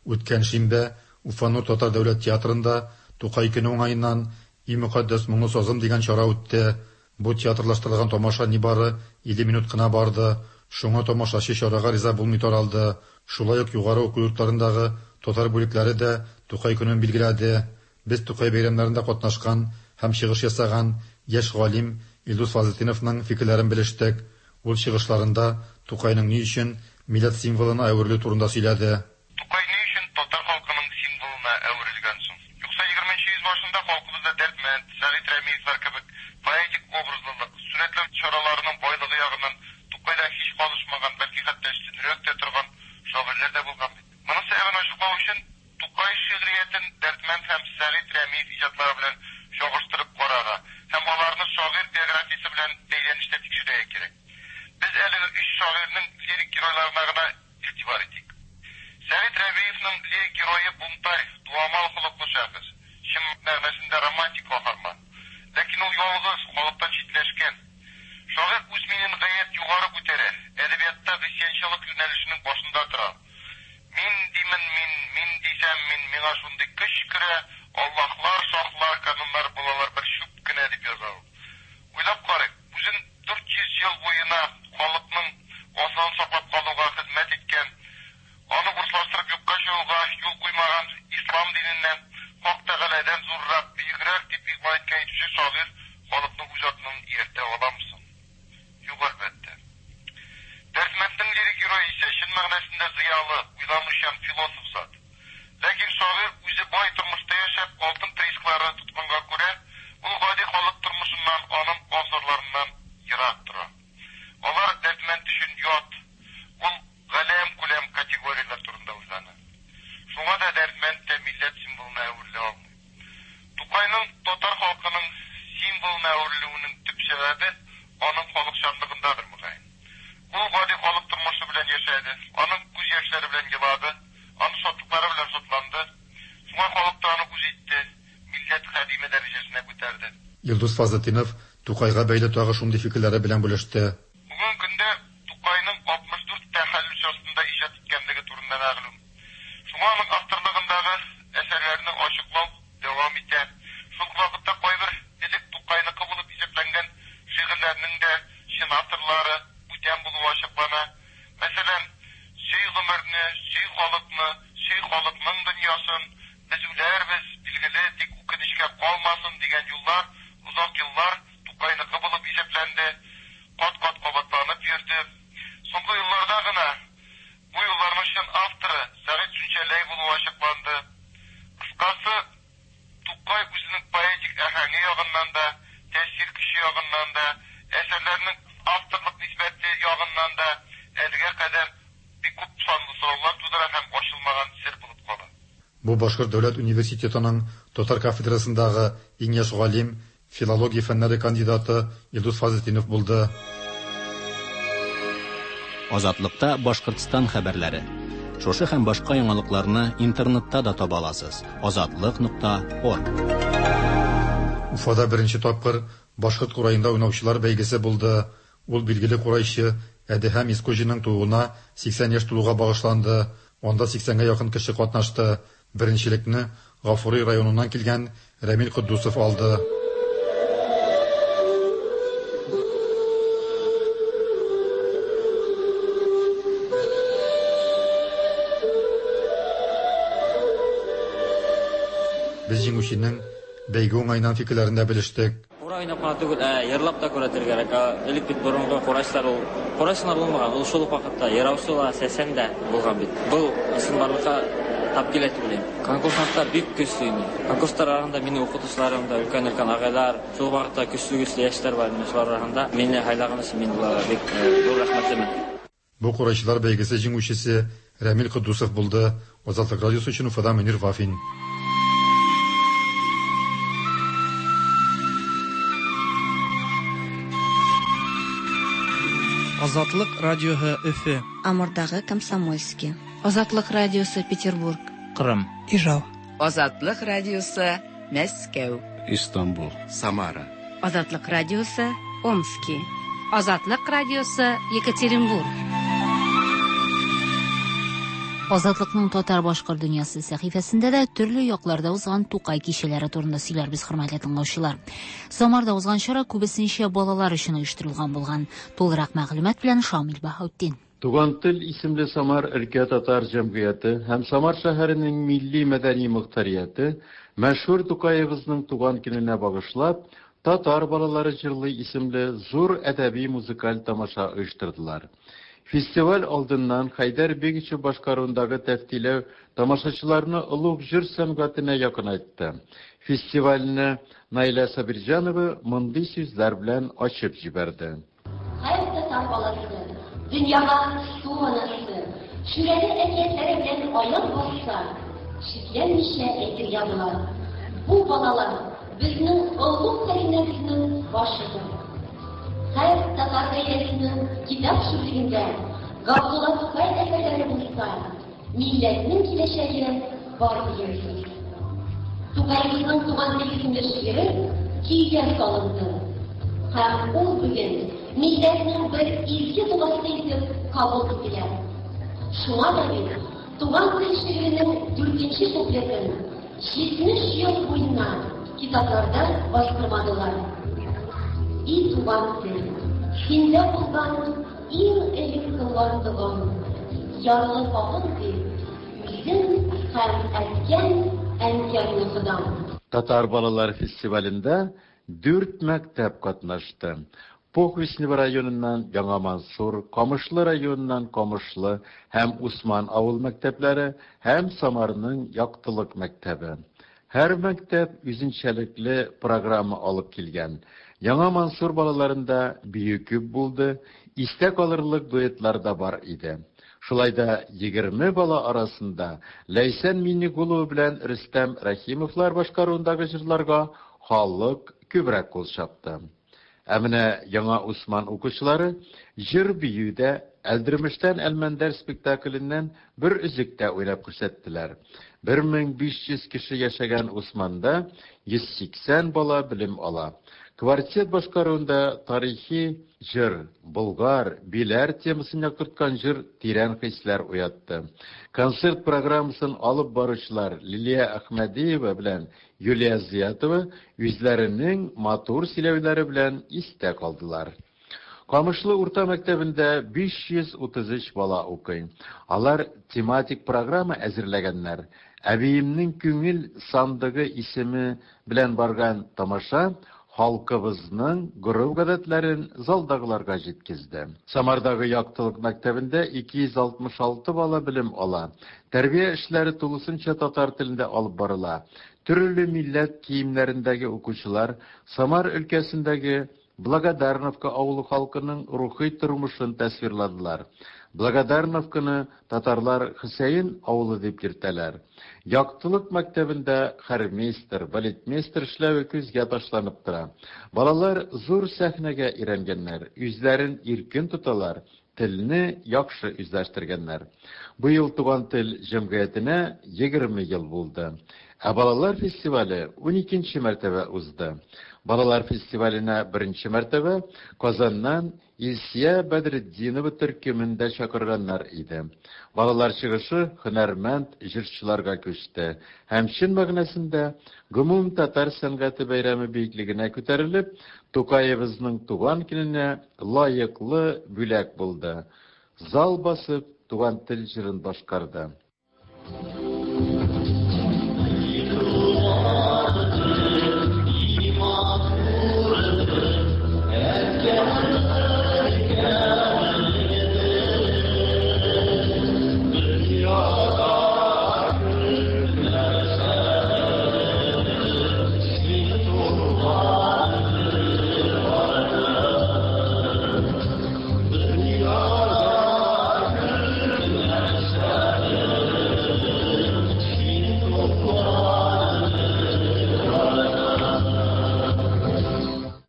Үткән шимбә Уфа Нур татар дәүләт театрында Тукай көне уңаеннан И мөкаддәс моңлы сазым дигән чара үтте. Бу театрлаштырылган тамаша нибары илле минут кына барды. Шуңа тамашачы чарага риза булмый таралды. Шулай ук югары уку йортларындагы татар бүлекләре дә Тукай көнен билгеләде. Без Тукай бәйрәмнәрендә катнашкан һәм чыгыш ясаган яшь галим Илдус Фазлетдиновның фикерләрен белештек. Ул чыгышларында Тукайның ни өчен милләт символына әверелү турында сөйләде. Тукай ни өчен татар халкының символына әверелгән соң? Юкса егерменче йөз башында халкыбызда Дәрдмәнд, Сәгыйть Рәмиевләр кебек поэтик образлылык, сурәтләү чараларының байлыгы ягыннан Тукайдан һич калышмаган, бәлки хәтта өстенрәк тә торган шагыйрьләр дә булган бит. Моның сәбәбен ачыклау өчен Тукай шигъриятен Дәрдмәнд һәм Сәгыйть Рәмиев иҗатлары белән чагыштырып карарга һәм аларны шагыйрь биографиясе белән бәйләнештә тикшерергә кирәк. Без әлеге өч шагыйрьнең лирик геройларына гына игътибар итик. Сәгыйть Рәмиевның лирик герое бунтарь, дуамал холыклы шәхес, чын мәгънәсендә романтик каһарман. Ләкин ул ялгыз, халыктан читләшкән. Шагыйрь үз минен гаять югары күтәрә, әдәбиятта гыйсьянчылык юнәлешенең башында тора. Мин димен мин, мин дисәм мин, миңа шундый көч керә, Аллаһлар, шаһлар, кануннар булалар бер чүп кенә дип яза ул. Уйлап карыйк, үзен дүрт йөз ел буена халыкның асылын саклап калуга хезмәт иткән, аны урыслаштырып юкка чыгуга юл куймаган ислам диненнән, Хак Тәгаләдән зуррак, бөегрәк дип игълан иткән итүче шагыйрь халыкны үз артыннан ияртә аламы соң? Юк, әлбәттә. Дәрдмәнднең лирик герое исә чын мәгънәсендә зыялы, уйланучан философ зат. Ләкин шагыйрь үзе бай тормышта яшәп, алтын приисклары тотканга күрә, ул гади халык тормышыннан, аның абзарларыннан ерак тора. Алар Дәрдмәнд өчен ят, ул галәм күләм категорияләр турында уйлана. Шуңа да Дәрдмәнд тә милләт символына әверелә алмый. Тукайның татар халкының символына әверелүенең төп сәбәбе аның халыкчанлыгындадыр мөгаен. Ул гади халык тормышы белән яшәде, аның күз яшьләре белән елады, аның шатлыклары белән шатланды. Шуңа халык та аны үз итте, милләт хадиме дәрәҗәсенә күтәрде. Илдус Фазлетдинов Тукайга бәйле тагы шундый фикерләре белән бүлеште. Бүгенге көндә Тукайның алтмыш дүрт тәхәллүс астында иҗат иткәнлеге турында мәгълүм. Шуңа аның авторлыгындагы әсәрләрне ачыклау дәвам итә. Шул ук вакытта кайбер элек Тукайныкы булып исәпләнгән шигырьләрнең дә чын авторлары бүтән булуы ачыклана. Мәсәлән, сөй гомерне, сөй халыкны, сөй халыкның дөньясын, без үләрбез, билгеле, тик үкенечкә калмасын дигән юллар озак еллар Тукайныкы булып исәпләнде, кат-кат кабатланып йөрде. Соңгы елларда гына бу юлларның чын авторы Сәгыйть Сүнчәләй булуы ачыкланды. Кыскасы, Тукай үзенең поэтик әһәңе ягыннан да, тәэсир көче ягыннан да, әсәрләрнең авторлык нисбәте ягыннан да әлегә кадәр бик күп санлы сораулар тудыра һәм ачылмаган сер булып кала. Бу Башкорт дәүләт университетының татар кафедрасындагы иң яшь галим, филология фәннәре кандидаты Илдус Фазлетдинов булды. Азатлыкта Башкортстан хәбәрләре. Шушы һәм башка яңалыкларны интернетта да таба аласыз. Азатлык нокта орг. Уфада беренче тапкыр башкорт кураенда уйнаучылар бәйгесе булды. Ул билгеле курайчы Әдеһәм Искуҗиның тууына сиксән яшь тулуга багышланды. Анда сиксәнгә якын кеше катнашты. Беренчелекне Гафури районыннан килгән Рәмил Котдусов алды. Без җиңүченең бәйге уңаеннан фикерләрен дә белештек. Курай уйнап кына түгел, ә йырлап та күрәтергә кирәк. Элек бит борынгы курайчылар ул курайчылар булмаган, ул шул ук вакытта йыраучы ла, сәсән дә булган бит. Был чынбарлыкка тап килә дип уйлыйм. Конкурсантлар бик көчле иде. Конкурслар арасында минем укытучыларым да, өлкән-өлкән агайлар, шул вакытта көчле-көчле яшьләр бар иде. Шулар арасында мине һайлаган өчен мин уларга бик зур рәхмәтлемен. Бу курайчылар бәйгесе җиңүчесе Рәмил Котдусов булды. Азатлык радиосы өчен Уфада Мөнир Вафин. Азатлык радиоһы Өфе. Амурдагы Комсомольский. Азатлык радиосы Петербург. Кырым. Ижау. Азатлык радиосы Мәскәү. Истанбул. Самара. Азатлык радиосы Омский. Азатлык радиосы Екатеринбург. Азатлыкның татар башкорт дөньясы сәхифәсендә дә төрле якларда узган Тукай кичәләре турында сөйләрбез, хөрмәтле тыңлаучылар. Самарда узган чара күбесенчә балалар өчен оештырылган булган. Тулырак мәгълүмат белән Шамил Баһаутдин. Туган тел исемле Самар өлкә татар җәмгыяте һәм Самар шәһәренең милли мәдәни мохтарияте мәшһүр Тукаебызның туган көненә багышлап Татар балалары җырлый исемле зур әдәби музыкаль тамаша оештырдылар. Фестиваль алдыннан Хәйдәр Бегичев башкаруындагы тәфтиләү тамашачыларны олуг җыр сәнгатенә якынайтты. Фестивальне Наилә Сабирҗанова мондый сүзләр белән ачып җибәрде. Һәр татар баласы дөньяга су анасы, Шүрәле әкиятләре белән аяк басса, шикләнмичә әйтергә була: бу балалар безнең олуг хәзинәбезнең башыдыр. Һәр татар гаиләсенең китап шүрлегендә Габдулла Тукай әсәрләре булса, милләтнең киләчәге бар дигән сүз. Тукаебызның Туган тел исемле шигыре көйгә салынды. Һәм ул бүген милләтнең бер изге догасы итеп кабул ителә. Шуңа да бит Туган тел шигыренең дүртенче куплетын җитмеш ел буена китапларда бастырмадылар. И туган тел, синдә булган иң элек кылган догам, ярлы хакың дип, үзем һәм әткәм, әнкәмне Ходам. Татар балалар фестивалендә дүрт мәктәп катнашты. Похвистнево районыннан Яңа Мансур, Камышлы районыннан Камышлы һәм Усман авыл мәктәпләре һәм Самарның Яктылык мәктәбе. Һәр мәктәп үзенчәлекле программа алып килгән. Яңа Мансур балаларында бию күп булды, истә калырлык дуэтлар да бар иде. Шулай да егерме бала арасында Ләйсән Миннегулова белән Рөстәм Рәхимовлар башкаруындагы җырларга халык күбрәк кул чапты. Ә менә Яңа Усман укучылары җыр биюдә Әлдермештән Әлмәндәр спектакленнән бер өзек тә уйнап күрсәттеләр. бер мең биш йөз кеше яшәгән Усманда йөз сиксән бала белем ала. Квартет башкаруында тарихи җыр, Болгар, Биләр темасын яктырткан җыр тирән хисләр уятты. Концерт программасын алып баручылар Лилия Әхмәдиева белән Юлия Зиятова үзләренең матур сөйләүләре белән истә калдылар. Камышлы урта мәктәбендә биш йөз утыз өч бала укый. Алар тематик программа әзерләгәннәр. Әбиемнең күңел сандыгы исеме белән барган тамаша халкыбызның гореф-гадәтләрен залдагыларга җиткезде. Самардагы Яктылык мәктәбендә ике йөз алтмыш алты бала белем ала. Тәрбия эшләре тулысынча татар телендә алып барыла. Төрле милләт киемнәрендәге укучылар Самар өлкәсендәге Благодарновка авылы халкының рухи тормышын тасвирладылар. Благодарновканы татарлар Хөсәен авылы дип йөртәләр. Яктылык мәктәбендә хормейстер, балетмейстер эшләве күзгә ташланып тора. Балалар зур сәхнәгә өйрәнгәннәр, үзләрен иркен тоталар, телне яхшы үзләштергәннәр. Бу ел Туган тел җәмгыятенә егерме ел булды. Ә балалар фестивале уникенче мәртәбә узды. Балалар фестиваленә беренче мәртәбә Казаннан Илсия Бәдретдинова төркемен дә чакырганнар иде. Балалар чыгышы һөнәрмәнд җырчыларга күчте һәм чын мәгънәсендә гомум татар сәнгате бәйрәме биеклегенә күтәрелеп, Тукаебызның туган көненә лаеклы бүләк булды. Зал басып Туган тел җырын башкарды.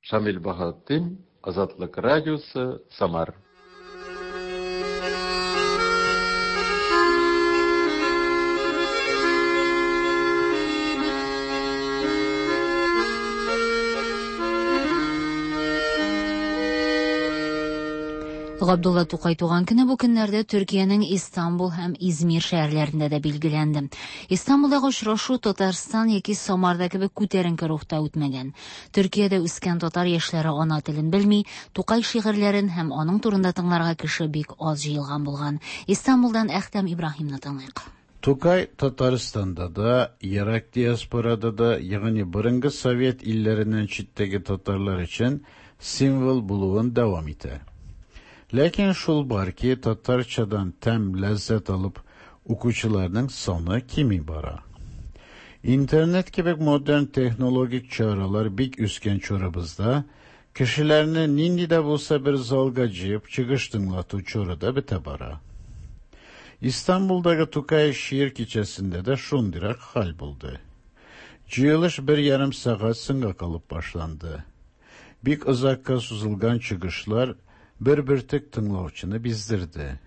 Шамил Баһаутдин, Азатлык радиосы, Самар. Габдулла Тукай туган көне бу көннәрдә Төркиянең Истанбул һәм Измир шәһәрләрендә дә билгеләнде. Истанбулдагы очрашу Татарстан яки Самарда кебек күтәренке рухта үтмәгән. Төркиядә үскән татар яшьләре ана телен белми, Тукай шигырьләрен һәм аның турында тыңларга кеше бик аз җыелган булган. Истанбулдан Әхтәм Ибраһимны тыңлыйк. Тукай Татарстанда да, ерак диаспорада да, ягъни борынгы совет илләреннән читтәге татарлар өчен символ булуын дәвам итә. Ләкин шул бар ки, татарчадан тәм, ләззәт алып укучыларның саны кими бара. Интернет кебек модерн технологик чаралар бик үскән чорыбызда кешеләрне нинди дә булса бер залга җыеп чыгыш тыңлату чоры да бетә бара. Истанбулдагы Тукай шигырь кичәсендә дә шундыйрак хәл булды. Җыелыш бер ярым сәгать соңга калып башланды. Бик озакка сузылган чыгышлар бер бөртек тыңлаучыны биздерде.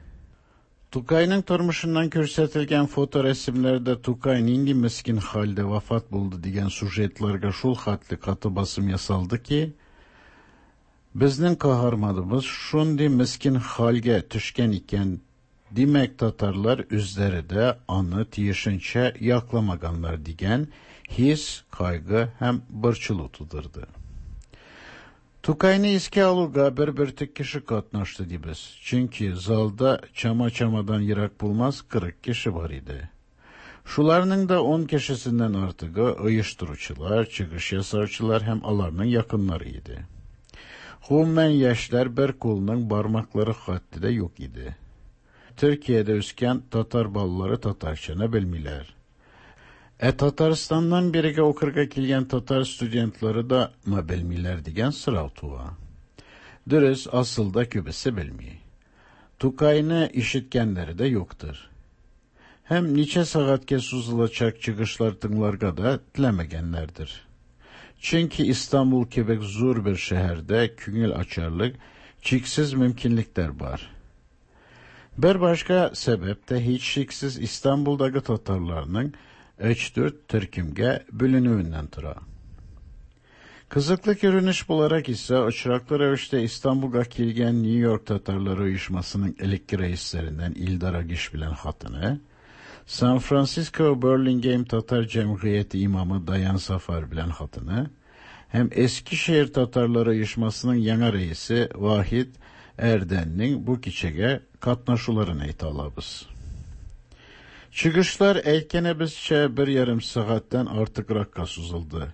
Тукайның тормышыннан күрсәтелгән фоторәсемнәрдә Тукай нинди мескен хәлдә вафат булды дигән сюжетларга шул хәтле каты басым ясалды ки, безнең каһарманыбыз шундый мескен хәлгә төшкән икән, димәк татарлар үзләре дә аны тиешенчә якламаганнар дигән хис, кайгы һәм борчылу тудырды. Тукайны искә алуга бер бөртек кеше катнашты дибез. Чөнки залда чама-чамадан ерак булмас кырык кеше бар иде. Шуларның да ун кешесеннән артыгы оештыручылар, чыгыш ясаучылар һәм аларның якыннары иде. Гомумән яшьләр бер кулның бармаклары хәтле дә юк иде. Төркиядә үскән татар балалары татарчаны белмиләр. Ә Татарстаннан бирегә укырга килгән татар студентлары да ма белмиләр дигән сорау туа. Дөрес, асылда күбесе белми. Тукайны ишеткәннәре дә юктыр. Һәм ничә сәгатькә сузылачак чыгышлар тыңларга да теләмәгәннәрдер. Чөнки Истанбул кебек зур бер шәһәрдә күңел ачарлык чиксез мөмкинлекләр бар. Бер башка сәбәп тә һичшиксез Истанбулдагы татарларның өч-дүрт төркемгә бүленүеннән тора. Кызыклы күренеш буларак исә очраклы рәвештә Истанбулга килгән Нью-Йорк татарлары оешмасының элекке рәисләреннән Илдар Агиш белән хатыны, Сан-Франциско Берлингейм татар җәмгыяте имамы Даян Сафар белән хатыны һәм Эскишehir татарлары оешмасының яңа рәисе Вахид Эрденнең бу кичәгә катнашуларын әйтә алабыз. Чыгышлар әйткәнебезчә бер ярым сәгатьтән артыгракка сузылды.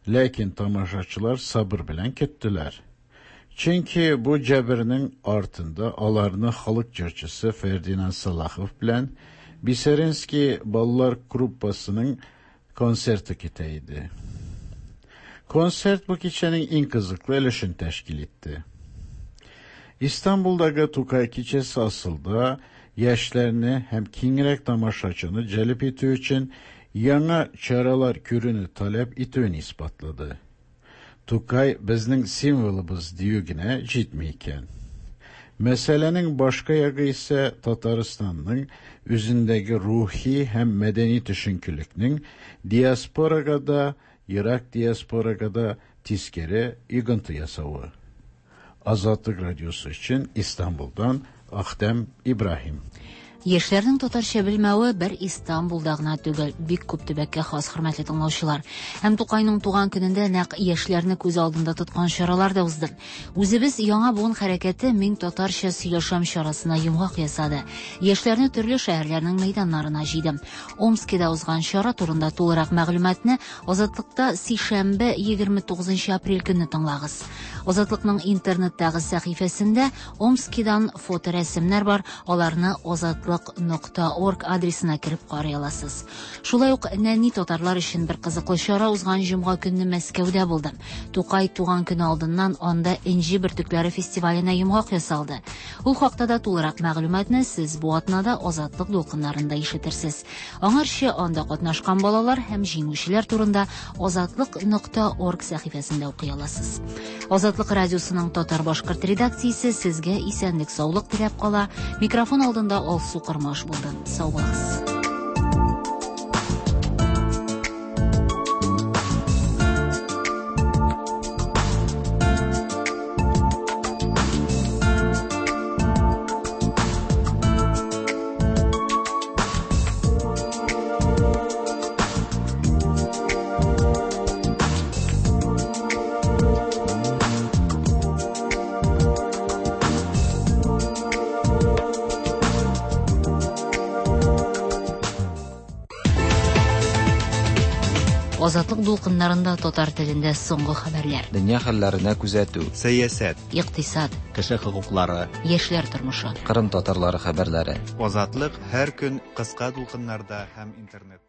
Ләкин тамашачылар сабыр белән көттеләр. Чөнки бу җәбернең артында аларны халык җырчысы Фердинанд Салахов белән Бисеринский балалар группасының концерты көтә иде. Концерт бу кичәнең иң кызыклы өлешен тәшкил итте. Истанбулдагы Тукай кичәсе асылда яшьләрне һәм киңрәк тамашачыны җәлеп итү өчен яңа чаралар күрүне таләп итүен исбатлады. Тукай безнең символыбыз дию генә җитми икән. Мәсьәләнең башка ягы исә Татарстанның үзендәге рухи һәм мәдәни төшенкелекнең диаспорага да, ерак диаспорага да тискәре йогынты ясавы. Азатлык радиосы өчен Истанбулдан Ахтем Ибраһим. Яшьләрнең татарча белмәве бер Истанбулда гына түгел, бик күп төбәккә хас, хөрмәтле тыңлаучылар. Һәм Тукайның туган көнендә нәкъ яшьләрне күз алдында тоткан чаралар да узды. Үзебез яңа буын хәрәкәте Мин татарча сөйләшәм чарасына йомгак ясады. Яшьләрне төрле шәһәрләрнең мәйданнарына җыйды. Омскида узган чара турында тулырак мәгълүматны Азатлыкта сишәмбе егерме тугызынчы апрель көнне тыңлагыз. Азатлыкның интернеттагы сәхифәсендә Омскидан фоторәсемнәр бар, аларны азатлык нокта орг адресына кереп карый аласыз. Шулай ук нәни татарлар өчен бер кызыклы чара узган җомга көнне Мәскәүдә булды. Тукай туган көне алдыннан анда Энҗе бөртекләре фестиваленә йомгак ясалды. Ул хакта да тулырак мәгълүматны сез бу атнада Азатлык дулкыннарында ишетерсез. Аңарчы анда катнашкан балалар һәм җиңүчеләр турында азатлык нокта орг сәхифәсендә укый аласыз. Азатлык радиосының татар-башкорт редакциясе сезгә исәнлек, саулык теләп кала. Микрофон алдында Алсу Кырмаш булды. Сау булыгыз. Азатлык дулкыннарында татар телендә соңгы хәбәрләр. Дөнья хәлләренә күзәтү. Сәясәт. Икътисад. Кеше хокуклары. Яшьләр тормышы. Кырым татарлары хәбәрләре. Азатлык һәр көн кыска дулкыннарда һәм интернет.